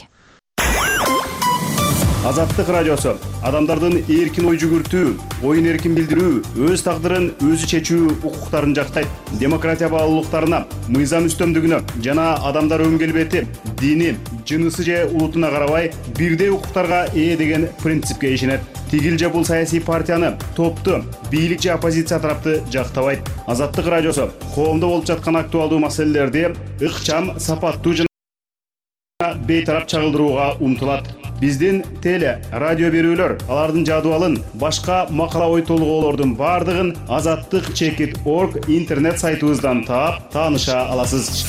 [SPEAKER 5] Азаттык радиосу адамдардын эркин ой жүгүртүү, оюн эркин билдирүү, өз тагдырын өзү чечүү укуктарын жактайт. Демократия баалуулуктарына, мыйзам үстөмдүгүнө жана адамдар өн келбети, дини, жынысы же улутуна карабай бирдей укуктарга ээ деген принципке ишенет. Тигил же бул саясий партияны, топту, бийлик же оппозиция тарапты жактабайт. Азаттык радиосу коомдо болуп жаткан актуалдуу маселелерди ыкчам, сапаттуу жана бейтарап чагылдырууга умтулат. Биздин теле, радио берүүлөр, алардын жадыбалын, башка макала ой толгоолордун бардыгын azattik.org интернет сайтыбыздан таап, тааныша аласыз.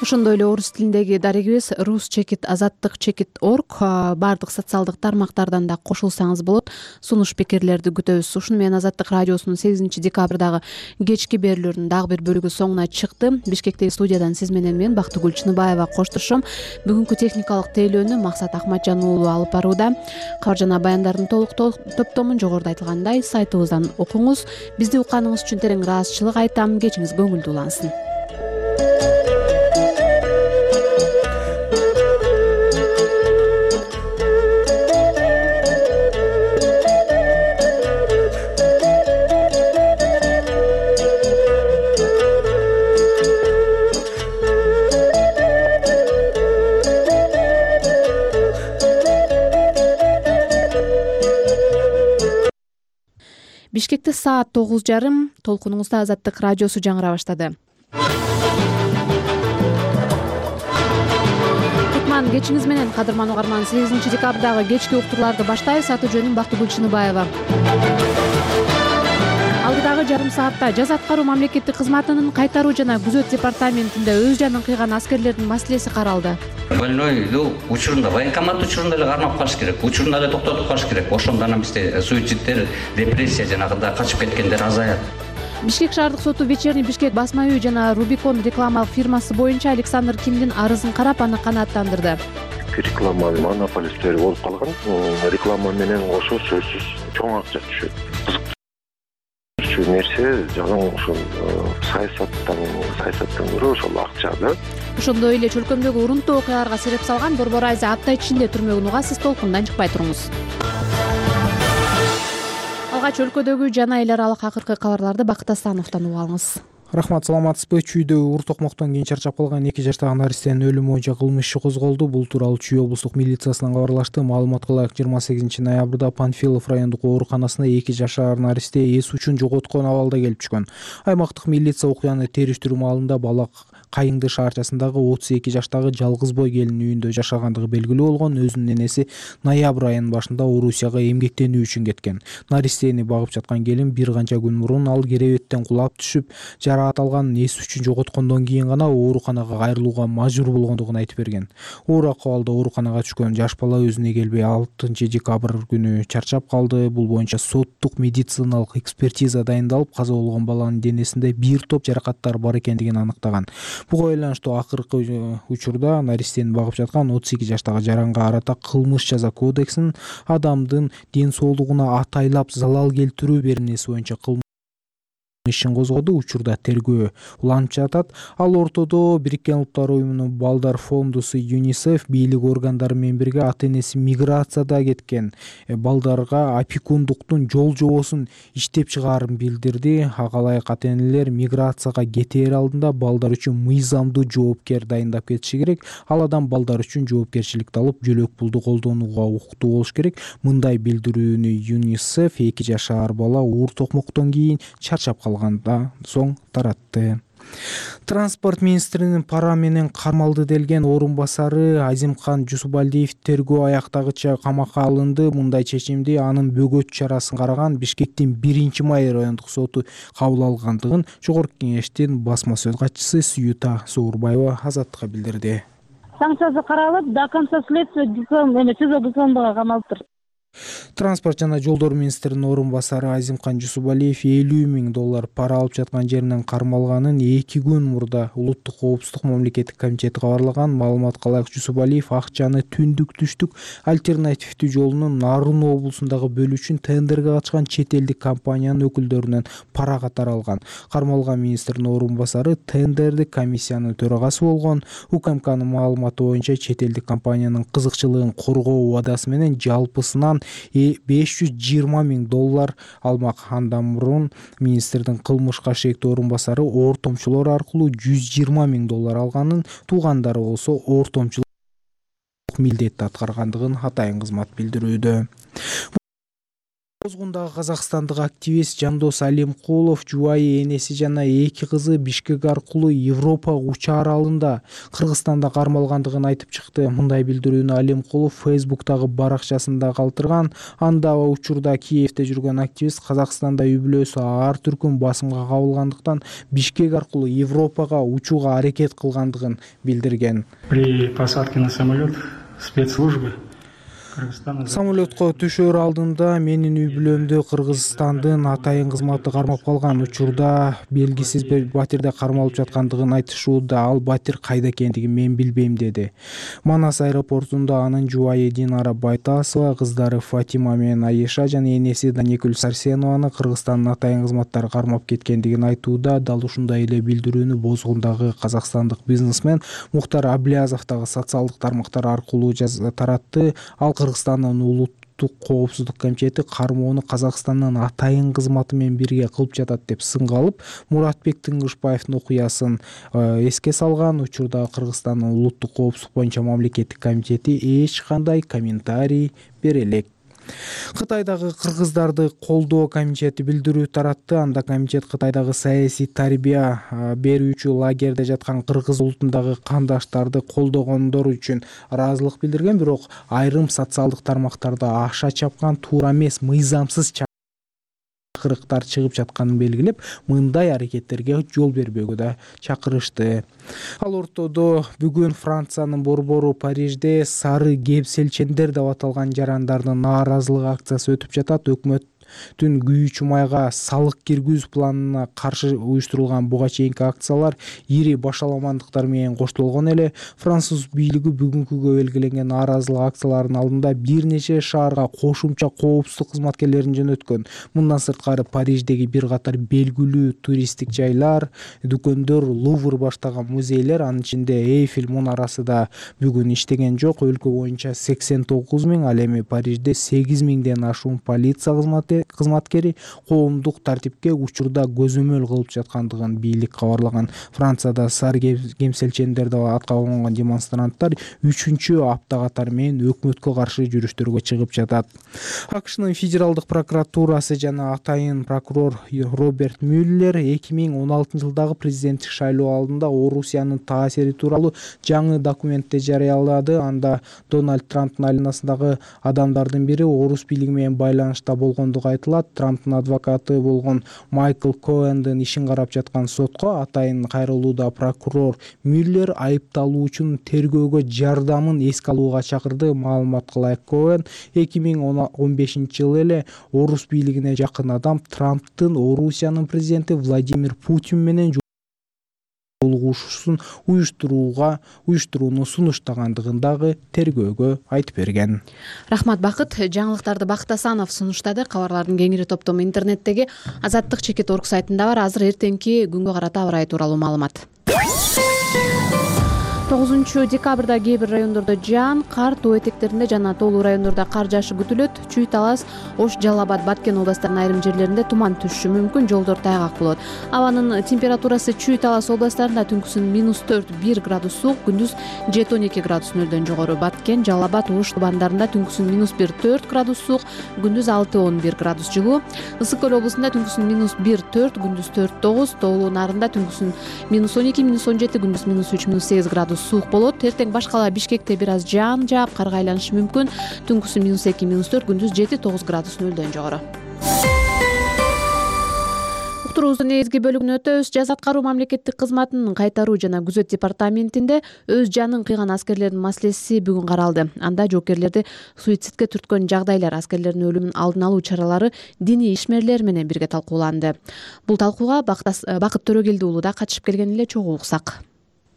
[SPEAKER 2] Ошондой эле орус тилиндеги дарегибиз rus.azattik.org баардык социалдык тармактардан да кошулсаңыз болот. Сунуш пикирлерди күтөбүз. Ушуну менен Азаттык радиосунун 8 декабрдагы кечки берүүлөрүнүн дагы бир бөлүгү соңуна чыкты. Бишкектеги студиядан сиз менен мен Бактыгүл Чыныбаева коштошом. Бүгүнкү техникалык тейлөөнү Максат Ахматжан уулу алып барууда. Кабар жана баяндардын толук топтомун жогоруда айтылгандай сайтыбыздан окуңуз. Бизди укканыңыз үчүн терең ыраазычылык айтам. Кечиңиз көңүлдүү улансын. Бишкекте саат 9:30. Толкунуңузда Азаттык радиосу жаңыра баштады. Кутман кечиңиз менен кадырман угарман, 8 декабрдагы кечки уктурларды баштайбыз. Аты жөнүм Бактыгүл Чыныбаева. Алдыдагы жарым саатта жаз аткаруу мамлекеттик кызматынын кайтаруу жана күзөт департаментинде өз жанын кыйган аскерлердин маселеси каралды.
[SPEAKER 22] Больной учурунда, военкомат учурунда эле кармап калыш керек, учурунда эле токтотуп калыш керек. Ошондо анан бизде суицидтер, депрессия жанагындай качып кеткендер азаят.
[SPEAKER 2] Бишкек шаардык соту Вечерний Бишкек басма үй жана Рубикон рекламалык фирмасы боюнча Александр Кимдин арызын карап, аны канааттандырды.
[SPEAKER 23] Реклама монополисттери болуп калган. Реклама менен кошо сөзсүз чоң акча түшөт. Нерсе жалаң ушул саясаттан көрө ошол акчада.
[SPEAKER 2] Ошондой эле чөлкөмдөгү урунтуу окуяларга себеп салган Борбор Айза апта ичинде түрмөгүн угасыз. Толкундан чыкпай туруңуз. Алгач өлкөдөгү жана эл аралык акыркы кабарларды Бакыт Асановдон угуп алыңыз.
[SPEAKER 24] Рахмат, саламатсызбы? Чүйдө ур токмоктон кийин чарчап калган 2 жаштагы наристенин өлүмү боюнча кылмыш иши козголду. Бул тууралуу Чүй облустук милициясынан кабарлашты. Маалыматка ылайык 28 ноябрда Панфилов райондук ооруканасына 2 жашар наристе эс учун жоготкон абалда келип түшкөн. Аймактык милиция окуяны териштирүү маалында бала Кайыңды шаарчасындагы 32 жаштагы жалгыз бой келин үйүндө жашагандыгы белгилүү болгон. Өзүнүн энеси ноябрь айынын башында Орусияга эмгектенүү үчүн кеткен. Наристени багып жаткан келин бир канча күн мурун ал керебеттен кулап түшүп, жараат алган, эс үчүн жоготкондон кийин гана ооруканага кайрылууга мажбур болгондугун айтып берген. Оор акыбалда ооруканага түшкөн жаш бала өзүнө келбей 6 декабрь күнү чарчап калды. Бул боюнча соттук медициналык экспертиза дайындалып, каза болгон баланын денесинде бир топ жаракаттар бар экендигин аныктаган. Буга байланыштуу акыркы учурда наристени багып жаткан 32 жаштагы жаранга карата кылмыш жаза кодексинин адамдын ден соолугуна атайлап залал келтирүү беренеси боюнча ишин козгоду. Учурда тергөө уланып жатат. Ал ортодо Бириккен Улуттар уюмунун балдар фондусу ЮНИСЕФ бийлик органдары менен бирге ата-энеси миграцияда кеткен балдарга опекундуктун жол жобосун иштеп чыгаарын билдирди. Ага ылайык ата-энелер миграцияга кетээр алдында балдар үчүн мыйзамдуу жоопкер дайындап кетиши керек. Ал адам балдар үчүн жоопкерчиликти алып, жөлөк пулду колдонууга укуктуу болуш керек. Мындай билдирүүнү ЮНИСЕФ 2 жашар бала оор токмоктон кийин чарчап калганда соң таратты. Транспорт министринин пара менен кармалды делген орун басары Азимкан Жусупалдиев тергөө аяктагыча камакка алынды. Мындай чечимди анын бөгөт чарасын караган Бишкектин 1-май райондук соту кабыл алгандыгын Жогорку кеңештин басма сөз катчысы Сүйүта Суурбаева Азаттыкка билдирди.
[SPEAKER 25] Санкциясы каралып, до конца следствия СИЗО камалыптыр.
[SPEAKER 24] Транспорт жана жолдор министринин орун басары Азимкан Жусупалиев $50,000 пара алып жаткан жеринен кармалганын 2 күн мурда Улуттук коопсуздук мамлекеттик комитети кабарлаган. Маалыматка ылайык, Жусупалиев акчаны түндүк түштүк альтернативдүү жолунун Нарын облусундагы бөлүшүн тендерге катышкан чет элдик компаниянын өкүлдөрүнөн пара катары алган. Кармалган министрдин орун басары тендердик комиссиянын төрагасы болгон. УКМКнын маалыматы боюнча чет элдик компаниянын кызыкчылыгын коргоо убадасы менен жалпысынан $520,000 алмак. Андан мурун министрдин кылмышка шектүү орун басары ортомчулор аркылуу $120,000 алганын, туугандары болсо ортомчулук милдетти аткаргандыгын атайын кызмат билдирүүдө. Бозгундагы казакстандык активист Жандос Алимкулов жубайы энеси жана 2 кызы Бишкек аркылуу Европа учуу аралында Кыргызстанда кармалгандыгын айтып чыкты. Мындай билдирүүнү Алимкулов Facebook'тагы баракчасында калтырган. Анда учурда Киевде жүргөн активист Казакстанда үй-бүлөсү ар түркүм басымга кабылгандыктан Бишкек аркылуу Европага учууга аракет кылгандыгын билдирген.
[SPEAKER 3] При посадке на самолет спецслужбы
[SPEAKER 24] Самолетко түшөр алдында менин үй-бүлөмдү Кыргызстандын атайын кызматы кармап калган. Учурда белгисиз бир батирде кармалып жаткандыгын айтышууда. Ал батир кайда экендигин мен билбейм, деди. Манас аэропортунда анын жубайы Динара Байтасова, кыздары Фатима менен Айыша жана энеси Даникүл Сарсенованы Кыргызстандын атайын кызматтары кармап кеткендигин айтууда. Дал ушундай эле билдирүүнү Бозгундагы казакстандык бизнесмен Мухтар Аблязов дагы социалдык тармактар аркылуу таратты. Ал Кыргызстандын улуттук коопсуздук комитети кармоону Казакстандын атайын кызматы менен бирге кылып жатат деп сынга алып, Муратбек Тыңгышбаевдин окуясын эске салган. Учурда Кыргызстандын улуттук коопсуздук боюнча мамлекеттик комитети эч кандай комментарий бере элек. Кытайдагы кыргыздарды колдоо комитети билдирүү таратты. Анда комитет Кытайдагы саясий тарбия берүүчү лагерде жаткан кыргыз улутундагы кандаштарды колдогондор үчүн ыраазылык билдирген, бирок айрым социалдык тармактарда аша чапкан, туура эмес, мыйзамсыз чакырыктар чыгып жатканын белгилеп, мындай аракеттерге жол бербөөгө да чакырышты. Ал ортодо бүгүн Франциянын борбору Парижде сары кепселчендер деп аталган жарандардын нааразылык акциясы өтүп жатат. Өкмөттүн күйүүчү майга салык киргизүү планына каршы уюштурулган буга чейинки акциялар ири башаламандыктар менен коштолгон эле. Француз бийлиги бүгүнкүгө белгиленген нааразылык акцияларынын алдында бир нече шаарга кошумча коопсуздук кызматкерлерин жөнөткөн. Мындан сырткары Париждеги бир катар белгилүү туристтик жайлар, дүкөндөр, Лувр баштаган музейлер, анын ичинде Эйфель мунарасы да бүгүн иштеген жок. Өлкө боюнча 89 000, ал эми Парижде 8 000ден ашуун полиция кызматкери коомдук тартипке учурда көзөмөл кылып жаткандыгын бийлик кабарлаган. Францияда сары кемселчендер деп атка конгон демонстранттар 3-чү апта катары менен өкмөткө каршы жүрүштөргө чыгып жатат. АКШнын федералдык прокуратурасы жана атайын прокурор Роберт Мюллер 2016-жылдагы президенттик шайлоо алдында Орусиянын таасири тууралуу жаңы документти жарыялады. Анда Дональд Трамптын айланасындагы адамдардын бири орус бийлиги менен байланышта болгондугу айтылат. Трамптын адвокаты болгон Майкл Коэндин ишин карап жаткан сотко атайын кайрылууда прокурор Мюллер айыпталуучунун тергөөгө жардамын эске алууга чакырды. Маалыматка ылайык, Коэн 2015-жылы эле орус бийлигине жакын адам Трамптын Орусиянын президенти Владимир Путин менен жолугушуусун уюштурууну сунуштагандыгын дагы тергөөгө айтып берген.
[SPEAKER 2] Рахмат, Бакыт. Жаңылыктарды Бакыт Асанов сунуштады. Кабарлардын кеңири топтому интернеттеги Азаттык.org сайтында бар. Азыр эртеңки күнгө карата аба ырайы тууралуу маалымат. 9 декабрда кээ бир райондордо жаан, кар, тоо этектеринде жана тоолуу райондордо кар жаашы күтүлөт. Чүй, Талас, Ош, Жалал Абад, Баткен областарынын айрым жерлеринде туман түшүшү мүмкүн, жолдор тайгак болот. Абанын температурасы Чүй, Талас областарында түнкүсүн -4-1 градус суук, күндүз 7-12 градус нөлдөн жогору. Баткен, Жалал Абад, Ош тубандарында түнкүсүн -1-4 градус суук, күндүз 6-11 градус жылуу. Ысык көл облусунда түнкүсүн -1-4, күндүз 4-9, тоолуу нарында түнкүсүн -12-17, күндүз -3-8 градус суук болот. Эртең башкала Бишкекте бир аз жаан жаап, карга айланышы мүмкүн. Түнкүсүн -2-4, күндүз 7-9 градус нөлдөн жогору. уктуруубуздун негизги бөлүгүнө өтөбүз. Жаза аткаруу мамлекеттик кызматынын кайтаруу жана күзөт департаментинде өз жанын кыйган аскерлердин маселеси бүгүн каралды. Анда жоокерлерди суицидке түрткөн жагдайлар, аскерлердин өлүмүн алдын алуу чаралары диний ишмерлер менен бирге талкууланды. Бул талкууга Бакыт Төрөгелди уулу да катышып келген эле, чогуу уксак.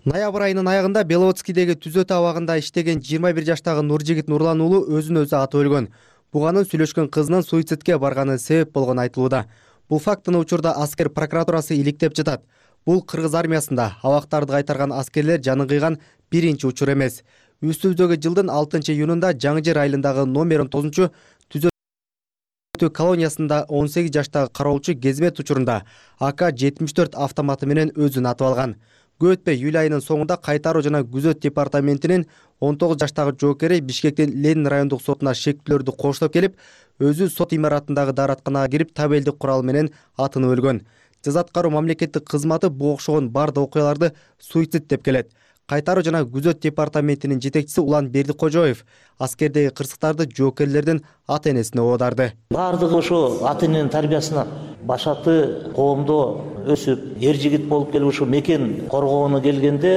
[SPEAKER 6] Ноябрь айынын аягында Беловодскийдеги түзөтүү абагында иштеген 21 жаштагы Нуржигит Нурлан уулу өзүн өзү атып өлгөн. Буганын сүйлөшкөн кызынын суицидке барганы себеп болгону айтылууда. Бул фактыны учурда аскер прокуратурасы иликтеп жатат. Бул кыргыз армиясында абактарды кайтарган аскерлер жанын кыйган биринчи учур эмес. Үстүбүздөгү жылдын 6-июнунда Жаңы Жер айылындагы номер 19 түзөтүү колониясында 18 жаштагы кароолчу кезмет учурунда АК-74 автоматы менен өзүн атып алган. Көп өтпөй июль айынын соңунда кайтаруу жана күзөт департаментинин 19 жаштагы жоокери Бишкектин Ленин райондук сотуна шектүүлөрдү коштоп келип, өзү сот имаратындагы дааратканага кирип табелдик курал менен атынып өлгөн. Жаза аткаруу мамлекеттик кызматы бул окшогон бардык окуяларды суицид деп келет. Кайтаруу жана күзөт департаментинин жетекчиси Улан Бердикожоев аскердеги кырсыктарды жоокерлердин ата-энесине оодарды.
[SPEAKER 7] Бардыгы ошо ата-эненин тарбиясына башаты коомдо өсүп, эр жигит болуп келип ушу мекен коргоону келгенде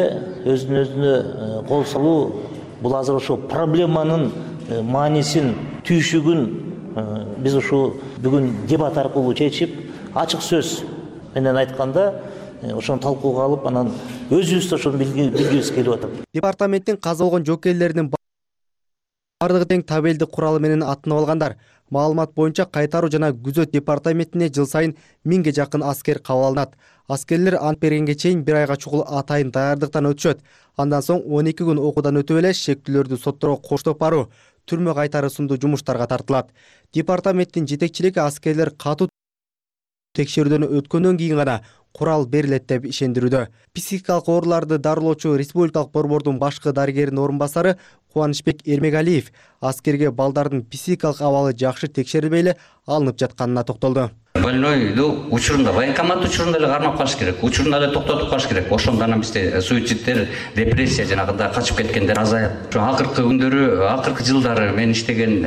[SPEAKER 7] өзүнө өзүнө кол салуу, бул азыр ошо проблеманын маанисин, түйшүгүн биз ушу бүгүн дебат аркылуу чечип, ачык сөз менен айтканда ошону талкууга алып, анан өзүбүз ошону билгибиз келип атат.
[SPEAKER 6] Департаменттин каза болгон жоокерлеринин бардыгы тең табелдик куралы менен атынып алгандар. Маалымат боюнча кайтаруу жана күзөт департаментине жыл сайын 1000ге жакын аскер кабыл алынат. Аскерлер ант бергенге чейин 1 айга чукул атайын даярдыктан өтүшөт. Андан соң 12 күн окуудан өтүп эле шектүүлөрдү сотторго коштоп баруу, түрмө кайтары сындуу жумуштарга тартылат. Департаменттин жетекчилиги аскерлер катуу текшерүүдөн өткөндөн кийин гана курал берилет деп ишендирүүдө. Психикалык ооруларды дарылоочу Республикалык борбордун башкы дарыгеринин орун басары Кубанычбек Эрмегалиев аскерге балдардын психикалык абалы жакшы текшерилбей эле алынып жатканына токтолду.
[SPEAKER 22] Больнойду учурунда, военкомат учурунда эле кармап калыш керек, учурунда эле токтотуп калыш керек. Ошондо анан бизде суицидтер, депрессия жанагындай качып кеткендер азаят. Ошо акыркы күндөрү, акыркы жылдары мен иштеген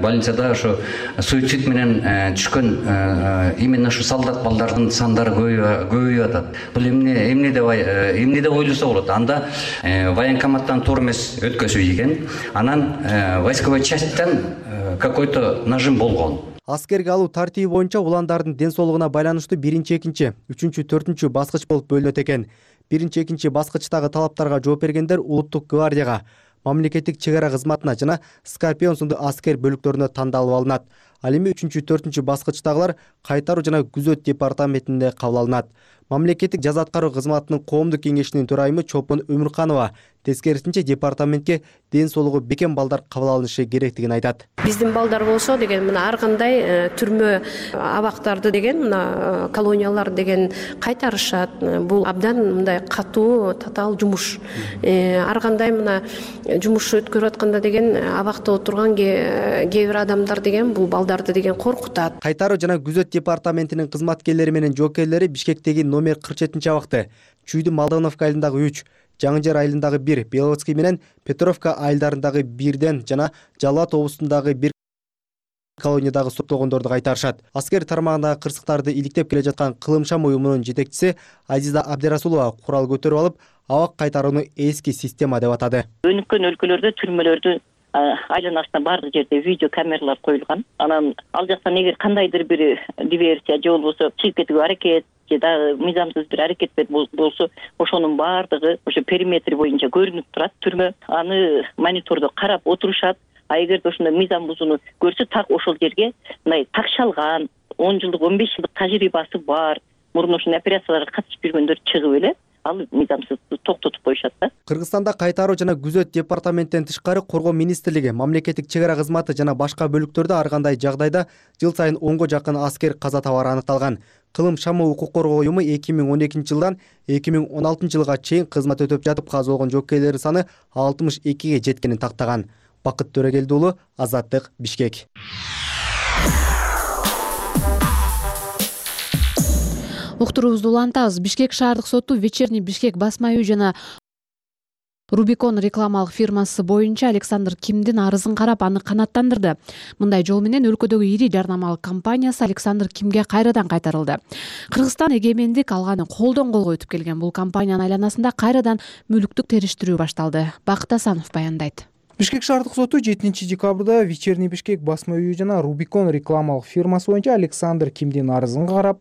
[SPEAKER 22] больницада ошо суицид менен түшкөн именно ушу солдат балдардын сандары көбөйүп атат. Бул эмне деп ойлосо болот. Анда военкоматтан туура эмес өткөзүп ийген, анан войсковой частьтан какой-то нажим болгон.
[SPEAKER 6] Аскерге алуу тартиби боюнча уландардын ден соолугуна байланыштуу 1-2, 3-4 баскыч болуп бөлүнөт экен. 1-2 баскычтагы талаптарга жооп бергендер улуттук гвардияга, мамлекеттик чек ара кызматына жана Скорпион сындуу аскер бөлүктөрүнө тандалып алынат. Ал эми 3-4 баскычтагылар кайтаруу жана күзөт департаментинде кабыл алынат. Мамлекеттик жаза аткаруу кызматынын коомдук кеңешинин төрайымы Чолпон Өмүрканова тескерисинче департаментке ден соолугу бекем балдар кабыл алынышы керектигин айтат.
[SPEAKER 8] Биздин балдар болсо деген мына ар кандай түрмө абактарды деген мына колониялар деген кайтарышат. Бул абдан мындай катуу татаал жумуш. Ар кандай мына жумуш өткөрүп атканда деген абакта отурган кээ бир адамдар деген бул балдарды деген коркутат.
[SPEAKER 6] Кайтаруу жана күзөт департаментинин кызматкерлери менен жоокерлери Бишкектеги номер 47 абакты, Чүйдү Малдановка айылындагы 3, Жаңы Жер айылындагы 1, Беловодский менен Петровка айылдарындагы 1ден жана Жалал Абад облусундагы 1 колониядагы соттолгондорду кайтарышат. Аскер тармагындагы кырсыктарды иликтеп келе жаткан Кылым Шам уюмунун жетекчиси Азиза Абдирасулова курал көтөрүп алып, абак кайтарууну эски система деп атады.
[SPEAKER 9] Өнүккөн өлкөлөрдө түрмөлөрдү айланасына бардык жерде видео камералар коюлган. Анан ал жактан эгер кандайдыр бир диверсия же болбосо чыгып кетүүгө аракет же дагы мыйзамсыз бир аракет болсо, ошонун баардыгы ошо периметр боюнча көрүнүп турат түрмө. Аны монитордо карап отурушат. А эгерде ошондой мыйзам бузууну көрсө, так ошол жерге мындай такшалган 10 жылдык 15 жылдык тажрыйбасы бар, мурун ошондой операцияларга катышып жүргөндөр чыгып эле ал мыйзамсыз токтотуп коюшат да.
[SPEAKER 6] Кыргызстанда кайтаруу жана күзөт департаменттен тышкары Коргоо министрлиги, мамлекеттик чек ара кызматы жана башка бөлүктөрдө ар кандай жагдайда жыл сайын 10го жакын аскер каза табары аныкталган. Кылым Шамы укук коргоо уюму 2012 жылдан 2016 жылга чейин кызмат өтөп жатып каза болгон жоокерлердин саны 62ге жеткенин тактаган. Бакыт Төрөгелди уулу, Азаттык, Бишкек.
[SPEAKER 2] Уктуруубузду улантабыз. Бишкек шаардык соту Вечерний Бишкек басма үй жана Rubicon рекламалык фирмасы боюнча Александр Кимдин арызын карап, аны канааттандырды. Мындай жол менен өлкөдөгү ири жарнамалык компаниясы Александр Кимге кайрадан кайтарылды. Кыргызстан эгемендик алганы колдон колго өтүп келген бул компаниянын айланасында кайрадан мүлүктүк териштирүү башталды. Бакыт Асанов баяндайт.
[SPEAKER 24] Бишкек шаардык соту 7 декабрда Вечерний Бишкек басма үйү жана Rubicon рекламалык фирмасы боюнча Александр Кимдин арызын карап,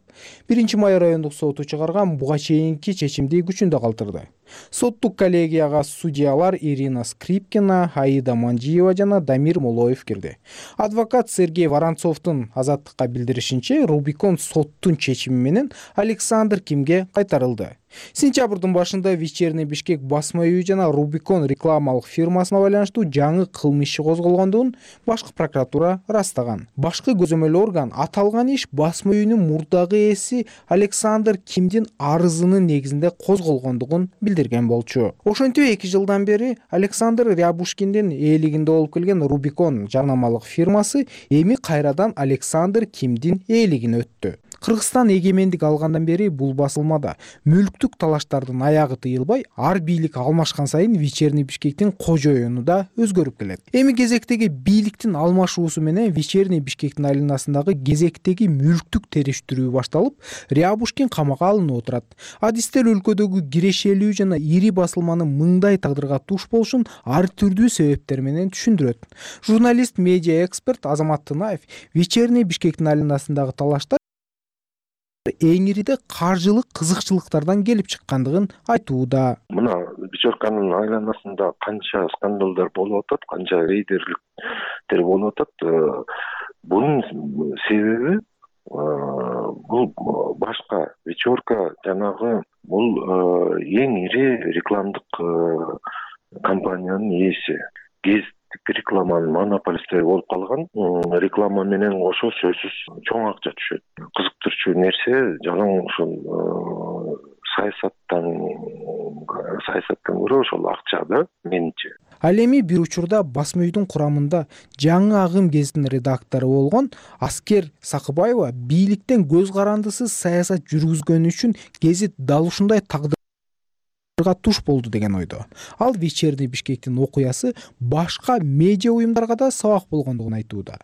[SPEAKER 24] 1 май райондук соту чыгарган буга чейинки чечимди күчүндө калтырды. Соттук коллегияга судьялар Ирина Скрипкина, Аида Манжиева жана Дамир Молоев кирди. Адвокат Сергей Воронцовдун азаттыкка билдиришинче, Rubicon соттун чечими менен Александр Кимге кайтарылды. Сентябрдын башында Вечерний Бишкек басма үйү жана Rubicon рекламалык фирмасына байланыштуу жаңы кылмыш иши козголгондугун башкы прокуратура ырастаган. Башкы көзөмөл орган аталган иш басма үйүнүн мурдагы ээси Александр Кимдин арызынын негизинде козголгондугун билдирген болчу. Ошентип 2 жылдан бери Александр Рябушкиндин ээлигинде болуп келген Rubicon жарнамалык фирмасы эми кайрадан Александр Кимдин ээлигине өттү. Кыргызстан эгемендик алгандан бери бул басылмада мүлктүк талаштардын аягы тыйылбай, ар бийлик алмашкан сайын Вечерний Бишкектин кожоюну да өзгөрүп келет. Эми кезектеги бийликтин алмашуусу менен Вечерний Бишкектин айланасындагы кезектеги мүлктүк териштирүү башталып, Рябушкин камакка алынып отурат. Адистер өлкөдөгү кирешелүү жана ири басылманын мындай тагдырга туш болушун ар түрдүү себептер менен түшүндүрөт. Журналист, медиа эксперт Азамат Тынаев Вечерний Бишкектин айланасындагы талаштар эң ириде каржылык кызыкчылыктардан келип чыккандыгын айтууда.
[SPEAKER 23] Мына Вечерканын айланасында канча скандалдар болуп атат, канча рейдерликтер болуп атат. Бунун себеби бул башка Вечерка жанагы бул эң ири рекламдык компаниянын ээси. Рекламанын монополисттери болуп калган. Реклама менен кошо сөзсүз чоң акча түшөт. Кызыктырчу нерсе жалаң ушул саясаттан көрө ошол акча да менимче.
[SPEAKER 24] Ал эми бир учурда басма үйдүн курамында жаңы агым гезитинин редактору болгон Аскер Сакыбаева бийликтен көз карандысыз саясат жүргүзгөнү үчүн гезит дал ушундай тагдырга туш болду деген ойдо. Ал Вечерний Бишкектин окуясы башка медиа уюмдарга да сабак болгондугун айтууда.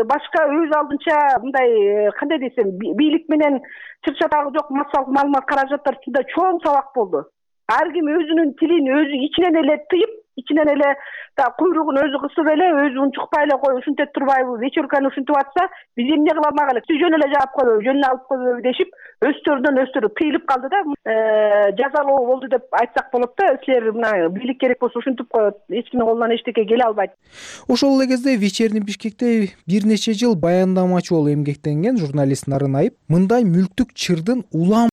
[SPEAKER 10] Башка өз алдынча мындай кандай десем, бийлик менен чыр-чатагы жок массалык маалымат каражаттар үстүндө чоң сабак болду. Ар ким өзүнүн тилин өзү ичинен эле тыйып, ичинен эле куйругун өзү кысып эле, өзү унчукпай эле кой, ушинтип турбайбы, Вечерканы ушинтип атса, биз эмне кыла алмак элек? Жөн эле жаап койбойбу, жөнүнө алып койбойбу дешип, өстөрү тыйылып калды да, жазалоо болду деп айтсак болот да. Силер мына бийлик керек болсо ушинтип коет, эч кимдин колунан эчтеке келе албайт.
[SPEAKER 24] Ошол эле кезде Вечерний Бишкекте бир нече жыл баяндамачы болуп эмгектенген журналист Нарын Айып мындай мүлктүк чырдын улам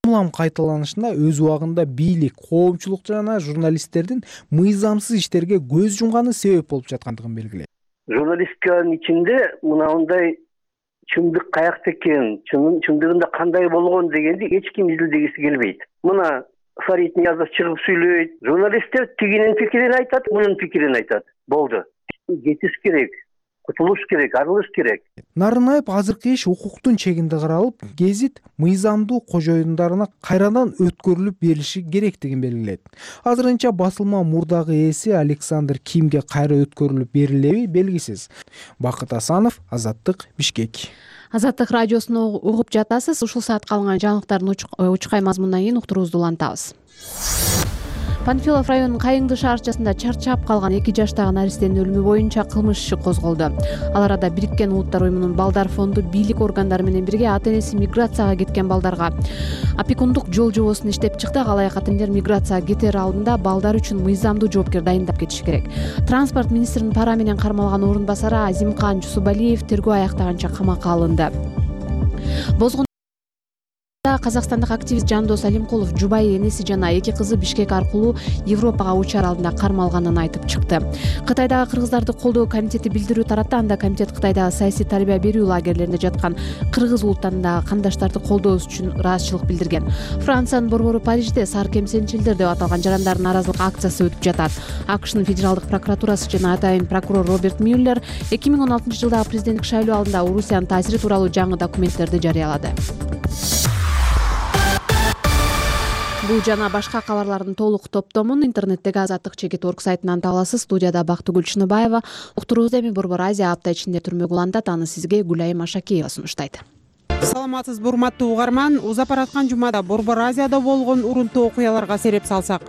[SPEAKER 24] кайталанышына өз убагында бийлик, коомчулук жана журналисттердин мыйзамсыз иштерге көз жумганы себеп болуп жаткандыгын белгилейт.
[SPEAKER 12] Журналистиканын ичинде мындай чындык каякта экен, чындыгында кандай болгон дегенди эч ким изилдегиси келбейт. Мына Фарид Ниязов чыгып сүйлөйт, журналисттер тигинин пикирин айтат, мунун пикирин айтат. Болду. Кетиш керек. Кутулуш керек, арылыш керек.
[SPEAKER 24] Нарынаев азыркы иш укуктун чегинде каралып, гезит мыйзамдуу кожоюндарына кайрадан өткөрүлүп берилиши керектигин белгилейт. Азырынча басылма мурдагы ээси Александр Кимге кайра өткөрүлүп берилеби белгисиз. Бакыт Асанов, Азаттык, Бишкек.
[SPEAKER 2] Азаттык радиосуна угуп жатасыз. Ушул саатка алынган жаңылыктардын учкай мазмунунан кийин уктуруубузду улантабыз. Панфилов районунун Кайыңды шаарчасында чарчап калган 2 жаштагы наристенин өлүмү боюнча кылмыш иши козголду. Ал арада Бириккен Улуттар уюмунун балдар фонду бийлик органдары менен бирге ата-энеси миграцияга кеткен балдарга опекундук жол жобосун иштеп чыкты. Алай катендер миграцияга кетер алдында балдар үчүн мыйзамдуу жоопкер дайындап кетиши керек. Транспорт министринин пара менен кармалган орун басары Азимкан Жусубалиев тергөө аяктаганча камакка алынды. Казакстандык активист Жандос Алимкулов жубайы энеси жана 2 кызы Бишкек аркылуу Европага учар алдында кармалганын айтып чыкты. Кытайдагы кыргыздарды колдоо комитети билдирүү таратты. Анда комитет Кытайдагы саясий тарбия берүү лагерлеринде жаткан кыргыз улуттарындагы кандаштарды колдообуз үчүн ыраазычылык билдирген. Франциянын борбору Парижде сар кемсенчилдер деп аталган жарандардын нааразылык акциясы өтүп жатат. АКШнын федералдык прокуратурасы жана атайын прокурор Роберт Мюллер 2016-жылдагы президенттик шайлоо алдында Орусиянын таасири тууралуу жаңы документтерди жарыялады. Бул жана башка кабарлардын толук топтомун интернеттеги azatlyk.org сайтынан таба аласыз. Студияда Бактыгүл Чыныбаева. Уктуруубузда эми Борбор Азия апта ичинде түрмөгө уландат. Аны сизге Гүлайым Ашакеева сунуштайт.
[SPEAKER 1] Саламатсызбы урматтуу угарман. Узап бараткан жумада Борбор Азияда болгон урунтуу окуяларга сереп салсак.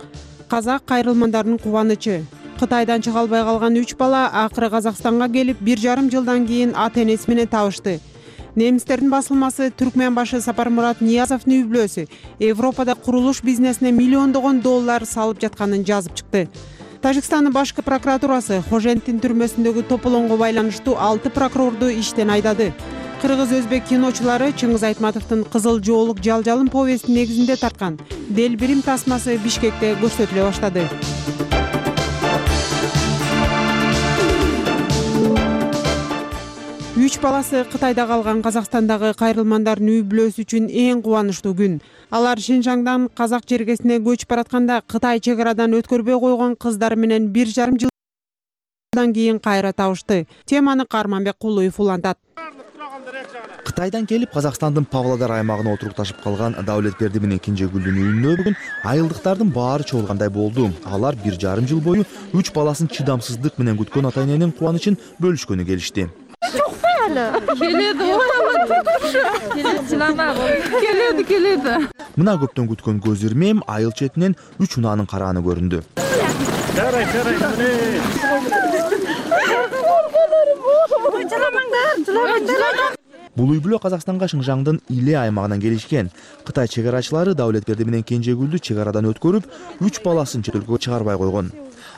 [SPEAKER 1] Казак кайрылмандарынын кубанычы. Кытайдан чыга албай калган 3 бала акыры Казакстанга келип 1,5 жылдан кийин ата-энеси менен табышты. Немистердин басылмасы Түркмен башы Сапармурат Ниязовдун үй-бүлөсү Европада курулуш бизнесине миллиондогон доллар салып жатканын жазып чыкты. Тажикстандын башкы прокуратурасы Хоженттин түрмөсүндөгү тополоңго байланыштуу 6 прокурорду иштен айдады. Кыргыз-өзбек киночулары Чыңгыз Айтматовдун Кызыл жоолук жалжалым повестин негизинде тарткан Делбирим тасмасы Бишкекте көрсөтүлө баштады. Үч баласы Кытайда калган Казакстандагы кайрылмандардын үй-бүлөсү үчүн эң кубанычтуу күн. Алар Шинжаңдан Казак жергесине көчүп баратканда Кытай чек арадан өткөрбөй койгон кыздары менен 1,5 жылдан кийин кайра табышты. Теманы Карманбек Кулуев улантат.
[SPEAKER 4] Кытайдан келип Казакстандын Павлодар аймагына отурукташып калган Даулетберди менен Кенжегүлдүн үйүнө бүгүн айылдыктардын баары чогулгандай болду. Алар 1,5 жыл бою 3 баласын чыдамсыздык менен күткөн ата-эненин кубанычын бөлүшкөнү келишти.
[SPEAKER 1] Келеди.
[SPEAKER 4] Мына көптөн күткөн көз ирмем айыл четинен 3 унаанын карааны көрүндү. Бул үй-бүлө Казакстанга Шыңжаңдын Иле аймагынан келишкен. Кытай чек арачылары Даулетберди менен Кенжегүлдү чек арадан өткөрүп, 3 баласын чет өлкөгө чыгарбай койгон.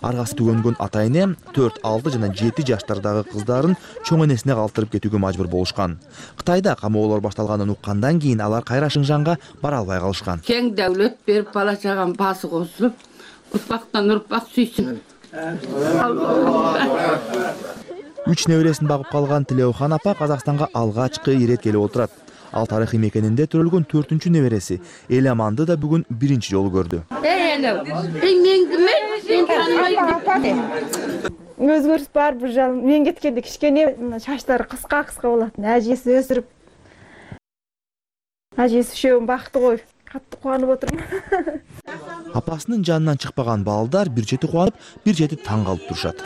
[SPEAKER 4] Аргасы түгөнгөн ата-эне 4, 6 жана 7 жаштардагы кыздарын чоң энесине калтырып кетүүгө мажбур болушкан. Кытайда камоолор башталганын уккандан кийин алар кайра Шыңжаңга бара албай калышкан.
[SPEAKER 13] Кең дәүлет берип бала чаган басы косуп, урпактан урпак сүйсүн.
[SPEAKER 4] 3 небересин багып калган Тилеухан апа Казакстанга алгачкы ирет келип отурат. Ал тарыхый мекенинде төрөлгөн 4-чү небереси Эламанды да бүгүн 1-чи жолу көрдү.
[SPEAKER 14] Өзгөрүс бар бул жыл. Мен кеткенде кичкене чачтары кыска болот. Ажеси өсүрүп. Ажеси үшөөүн бакты ғой. Катты кубанып отурмун.
[SPEAKER 4] Апасынын жанынан чыкпаган балдар бир чети кубанып, бир чети таң калып турушат.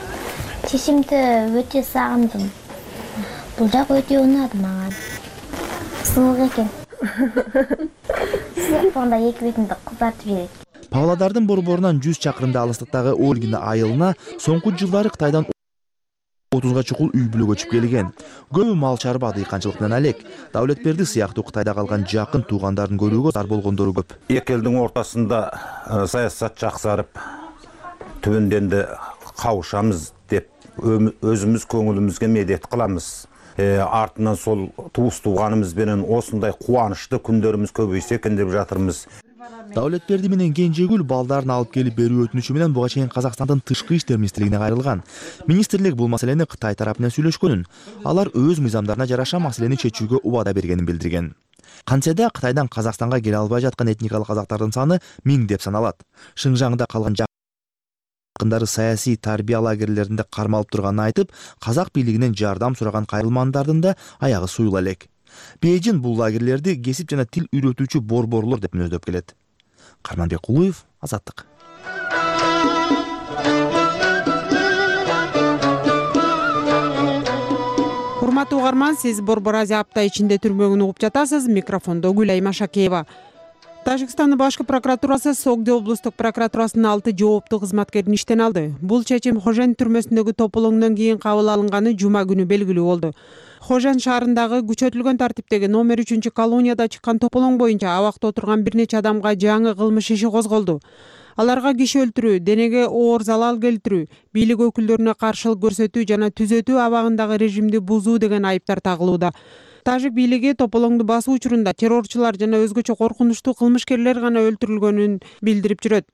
[SPEAKER 25] Чечимди өтө сагындым. Бул жак өтө унады мага. Суук экен. Суук эки бетинде кызартып жиберет.
[SPEAKER 4] Павлодардын борборунан 100 чакырымда алыстыктагы Ольгина айылына соңку жылдары Кытайдан 30га чукул үй-бүлө көчүп келген. Көбү мал чарба, дыйканчылык менен алек. Даулетберди сыяктуу Кытайда калган жакын туугандарын көрүүгө зар болгондору көп.
[SPEAKER 26] Эки элдин ортосунда саясат жаксарып, түбүндөн кабышабыз деп өзүбүз көңүлүбүзгө медет кылабыз. Артынан сол туус тууганыбыз менен осундай кубанычтуу күндөрүбүз көбөйсө экен деп жатырбыз.
[SPEAKER 4] Даулетберди менен Кенжегүл балдарын алып келип берүү өтүнүчү менен буга чейин Казакстандын тышкы иштер министрлигине кайрылган. Министрлик бул маселени Кытай тарапы менен сүйлөшкөнүн. Алар өз мыйзамдарына жараша маселени чечүүгө убада бергенин билдирген. Кантсе да Кытайдан Казакстанга келе албай жаткан этникалык казактардын саны 1000 деп саналат. Шыңжаңда калган жакындары саясий тарбия лагерлеринде кармалып турганын айтып, казак бийлигинен жардам сураган кайрылмандардын да аягы суюла элек. Бейжин бул лагерлерди кесип жана тил үйрөтүүчү борборлор деп мүнөздөп келет. Карманбек Кулуев, Азаттык.
[SPEAKER 1] Урматтуу угарман, сиз Борбор Азия апта ичинде түрмөгүн угуп жатасыз. Микрофондо Гүлайым Ашакеева. Тажикстандын башкы прокуратурасы Согди облустук прокуратурасынын 6 жооптуу кызматкерин иштен алды. Бул чечим Хожен түрмөсүндөгү тополоңдон кийин кабыл алынганы жума күнү белгилүү болду. Хожен шаарындагы күчөтүлгөн тартиптеги номер 3 колонияда чыккан тополоң боюнча абакта отурган бир нече адамга жаңы кылмыш иши козголду. Аларга киши өлтүрүү, денеге оор залал келтирүү, бийлик өкүлдөрүнө каршылык көрсөтүү жана түзөтүү абагындагы режимди бузуу деген айыптар тагылууда. Тажик бийлиги тополоңду басуу учурунда террорчулар жана өзгөчө коркунучтуу кылмышкерлер гана өлтүрүлгөнүн билдирип жүрөт.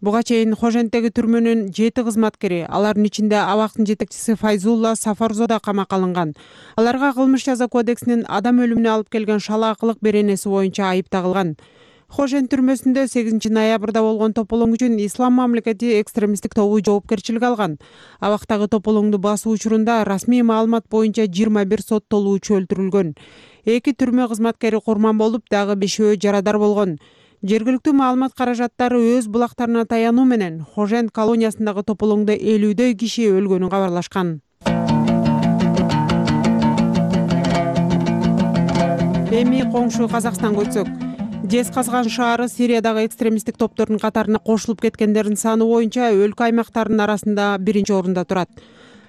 [SPEAKER 1] Буга чейин Хоженттеги түрмөнүн 7 кызматкери, алардын ичинде абактын жетекчиси Файзулла Сафарзо да камакка алынган. Аларга кылмыш жаза кодексинин адам өлүмүнө алып келген шалаакылык беренеси боюнча айып тагылган. Хожен түрмөсүндө 8 ноябрда болгон тополоң үчүн Ислам мамлекети экстремисттик тобу жоопкерчилик алган. Абактагы тополоңду басуу учурунда расмий маалымат боюнча 21 соттолуучу өлтүрүлгөн. 2 түрмө кызматкери курман болуп, дагы 5-өө жарадар болгон. Жергиликтүү маалымат каражаттары өз булактарына таянуу менен Хожен колониясындагы тополоңдо 50дөй киши өлгөнүн кабарлашкан. Эми коңшу Казакстанга өтсөк, Жезказган шаары Сириядагы экстремисттик топтордун катарына кошулуп кеткендердин саны боюнча өлкө аймактарынын арасында 1-орунда турат.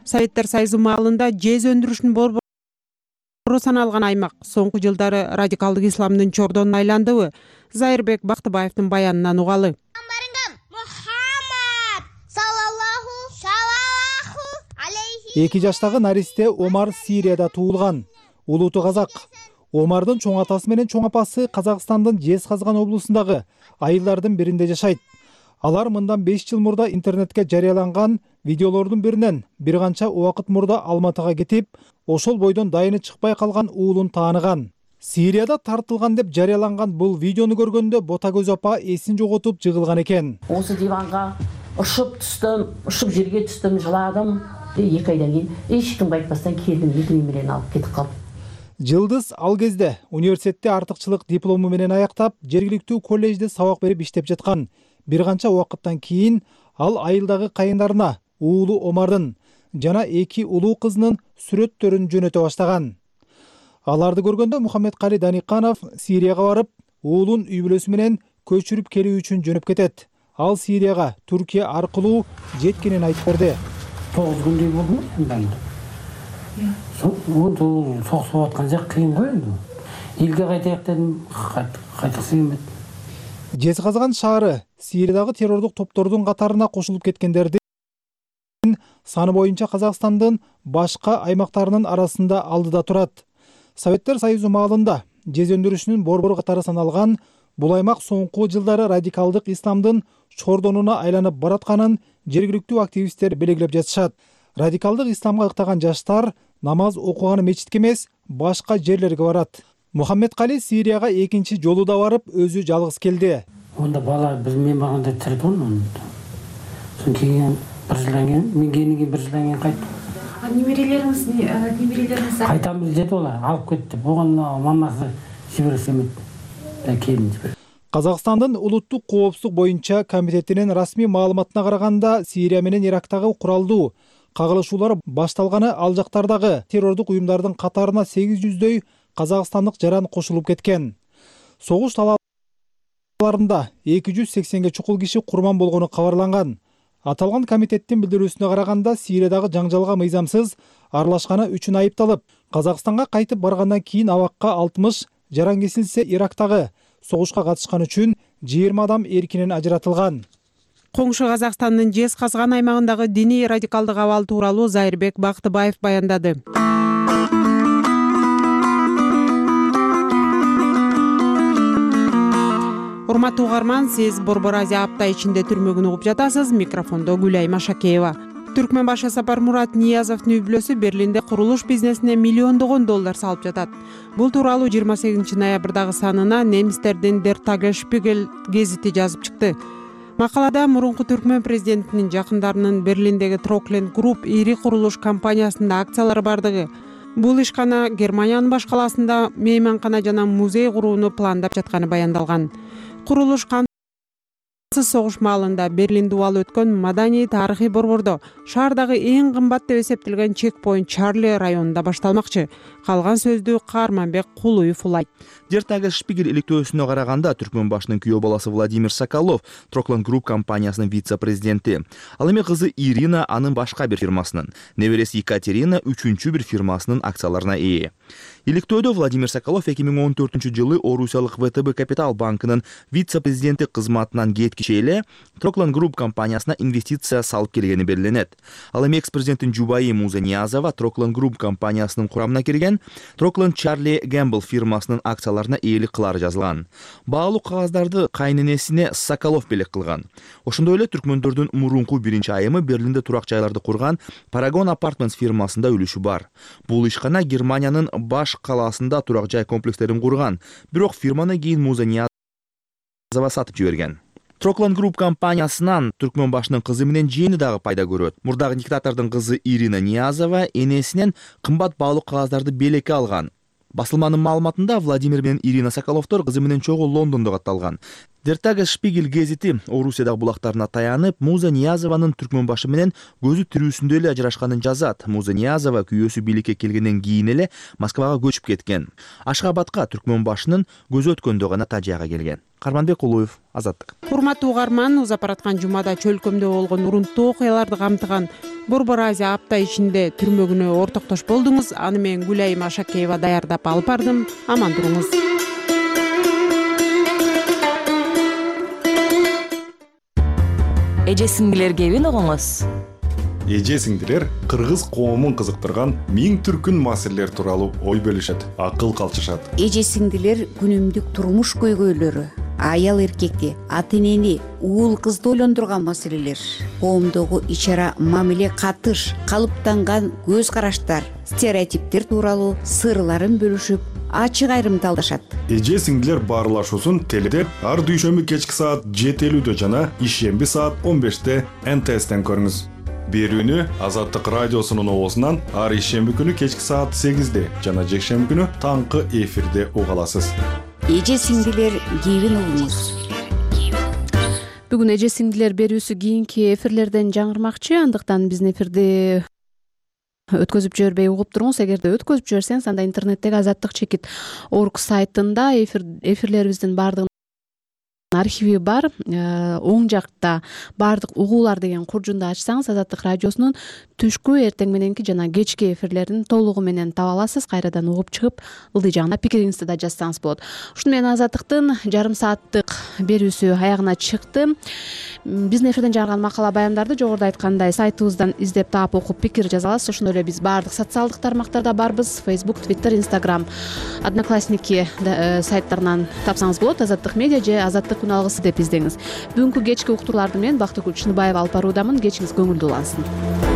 [SPEAKER 1] Советтер Союзу маалында жез өндүрүшүнүн борбору саналган аймак соңку жылдары радикалдык исламдын чордонуна айландыбы? Зайырбек Бактыбаевдин баянынан угалы.
[SPEAKER 11] 2 жаштагы наристе Омар Сирияда туулган. Улуту казак. Омардын чоң атасы менен чоң апасы Казакстандын Жезказган облусундагы айылдардын биринде жашайт. Алар мындан 5 жыл мурда интернетке жарыяланган видеолордун биринен бир канча убакыт мурда Алматыга кетип, ошол бойдон дайыны чыкпай калган уулун тааныган. Сирияда тартылган деп жарыяланган бул видеону көргөндө Ботагөз апа эсин жоготуп жыгылган экен.
[SPEAKER 15] Осы диванга ушуп түстүм, ушуп жерге түстүм, жыладым. 2 айдан кийин эч кимге айтпастан келдим, эки менен алып кетип калдым.
[SPEAKER 11] Жылдыз ал кезде университетте артыкчылык диплому менен аяктап, жергиликтүү коллежде сабак берип иштеп жаткан. Бир канча убакыттан кийин ал айылдагы кайындарына уулу Омардын жана 2 улуу кызынын сүрөттөрүн жөнөтө баштаган. Аларды көргөндө Мухаммедкали Даниканов Сирияга барып, уулун үй бүлөсү менен көчүрүп келүү үчүн жөнөп кетет. Ал Сирияга Түркия аркылуу жеткенин айтып берди.
[SPEAKER 17] 9 күндөй болду мындан. Соғысып аткан жак кыйын го энди. Элге кайтайык дедим, кайтыксы келмеди.
[SPEAKER 11] Жезказган шаары Сириядагы террордук топтордун катарына кошулуп кеткендердин саны боюнча Казакстандын башка аймактарынын арасында алдыда турат. Советтер Союзу маалында жез өндүрүшүнүн борбору катары саналган бул аймак соңку жылдары радикалдык исламдын чордонуна айланып баратканын жергиликтүү активисттер белгилеп жатышат. Радикалдык исламга ыктаган жаштар намаз окуганы мечитке эмес, башка жерлерге барат. Мухаммедкали Сирияга 2-чи жолу да барып, өзү жалгыз келди.
[SPEAKER 17] Онда бала мен барганда тирдон. Соң кийин бир жылдан кийин, мен келгенден 1 жылдан кийин кайттым. Немерелериңиз кайтамыз деп алар, алып кетти. Буган мамасы жиберсе эмет. Келин жиберди.
[SPEAKER 11] Казакстандын улуттук коопсуздук боюнча комитетинин расмий маалыматына караганда, Сирия менен Ирактагы куралдуу кагылышуулар башталганы ал жактардагы террордук уюмдардын катарына 800дөй казакстандык жаран кошулуп кеткен. Согуш талааларында 280ге чукул киши курман болгону кабарланган. Аталган комитеттин билдирүүсүнө караганда, Сириядагы жаңжалга мыйзамсыз аралашканы үчүн айыпталып, Казакстанга кайтып баргандан кийин абакка 60 жаран кесилсе, Ирактагы согушка катышкан үчүн 20 адам эркинен ажыратылган.
[SPEAKER 1] Коңшу Казакстандын Жезказган аймагындагы диний радикалдык абал тууралуу Зайырбек Бактыбаев баяндады. Урматтуу угарман, сиз Борбор Азия апта ичинде түрмөгүн угуп жатасыз. Микрофондо Гүлай Машакеева. Түркмен башы Сапармурат Ниязовдун үй бүлөсү Берлинде курулуш бизнесине миллиондогон доллар салып жатат. Бул тууралуу 28 ноябрдагы санына немистердин Der Tagesspiegel гезити жазып чыкты. Макалада мурунку Түркмен президентинин жакындарынын Берлиндеги Trokland Group ири курулуш компаниясында акциялары бардыгы, бул ишкана Германиянын баш калаасында мейманкана жана музей курууну пландап жатканы баяндалган. Курулуш согуш маалында Берлинде убал өткөн маданий тарыхый борбордо шаардагы эң кымбат деп эсептелген чекпоинт Чарли районунда башталмакчы. Калган сөздү Каарманбек Кулуев улайт.
[SPEAKER 4] Der Tagesspiegel иликтөөсүнө караганда, Түркмөн башынын күйөө баласы Владимир Соколов Trokland Group компаниясынын вице-президенти. Ал эми кызы Ирина анын башка бир фирмасынын, небереси Екатерина 3-чү бир фирмасынын акцияларына ээ. Иликтөөдө Владимир Соколов 2014-жылы Орусиялык ВТБ Капитал банкынын вице-президенти кызматынан кеткиче эле Trokland Group компаниясына инвестиция салып келгени белгиленет. Ал эми экс-президенттин жубайы Муза Ниязова Trokland Group компаниясынын курамына кирген Trokland Charlie Gamble фирмасынын акцияларына ээлик кылары жазылган. Баалуу кагаздарды кайненесине Соколов белек кылган. Ошондой эле түркмөндөрдүн мурунку биринчи айымы Берлинде турак жайларды курган Paragon Apartments фирмасында үлүшү бар. Бул ишкана Германиянын баш калаасында турак жай комплекстерин курган, бирок фирманы кийин Муза Ниязова сатып жиберген. Trokland Group компаниясынан Түркмөн башынын кызы менен жээни дагы пайда көрөт. Мурдагы диктатордун кызы Ирина Ниязова энесинен кымбат баалуу кагаздарды белекке алган. Басылманын маалыматында Владимир менен Ирина Соколовдор кызы менен чогуу Лондондо катталган. Der Tagesspiegel гезити Орусиядагы булактарына таянып, Муза Ниязованын түркмөн башы менен көзү тирүүсүндө эле ажырашканын жазат. Муза Ниязова күйөөсү бийликке келгенден кийин эле Москвага көчүп кеткен. Ашгабадка түркмөн башынын көзү өткөндө гана Тажияга келген. Карманбек Кулуев, Азаттык.
[SPEAKER 1] Урматтуу угарман, узап бараткан жумада чөлкөмдө болгон урунттуу окуяларды камтыган Борбор Азия апта ичинде түрмөгүнө ортоктош болдуңуз. Аны мен Гүлайым Ашакеева даярдап алып бардым. Аман туруңуз.
[SPEAKER 5] Эже сиңдилерге эбин огоңуз.
[SPEAKER 16] Эже сиңдилер кыргыз коомун кызыктырган миң түркүн маселелер тууралуу ой бөлүшөт, акыл калчышат.
[SPEAKER 18] Эже сиңдилер күнүмдүк турмуш көйгөйлөрү, аял эркекти, ата энени, уул кызды ойлондурган маселелер, коомдогу ич-ара мамиле, катыш, калыптанган көз караштар, стереотиптер тууралуу сырларын бөлүшүп, ачык айрымдалдашат.
[SPEAKER 16] Эже сиңдилер баарлашуусун теледе ар дүйшөмбү кечки саат 7:50 жана ишемби саат 15 НТСтен көрүңүз. Берүүнү Азаттык радиосунун оозунан ар ишемби күнү кечки саат 8 жана жекшемби күнү таңкы эфирде уга аласыз.
[SPEAKER 18] Эже сиңдилер кийин угуңуз.
[SPEAKER 2] Бүгүн эже сиңдилер берүүсү кийинки эфирлерден жаңырмакчы, андыктан биздин эфирди өткөзүп жибербей угуп туруңуз. Эгерде өткөзүп жиберсеңиз, анда интернеттеги azattik.org сайтында эфирлерибиздин баардыгын архиви бар. Оң жакта баардык угуулар деген куржунду ачсаңыз, Азаттык радиосунун түшкү, эртең мененки жана кечки эфирлерин толугу менен таба аласыз. Кайрадан угуп чыгып, ылдый жагына пикириңизди да жазсаңыз болот. Ушуну менен Азаттыктын жарым сааттык берүүсү аягына чыкты. Биздин эфирден жарган макала баяндарды жогоруда айткандай сайтыбыздан издеп таап окуп пикир жаза аласыз. Ошондой эле биз баардык социалдык тармактарда барбыз. Facebook, Twitter, Instagram, Одноклассники сайттарынан тапсаңыз болот. Азаттык медиа же Азаттык күн алгысы деп издеңиз. Бүгүнкү кечки уктурууларды менен Бактыгүл Чыныбаева алып баруудамын. Кечиңиз көңүлдүү улансын.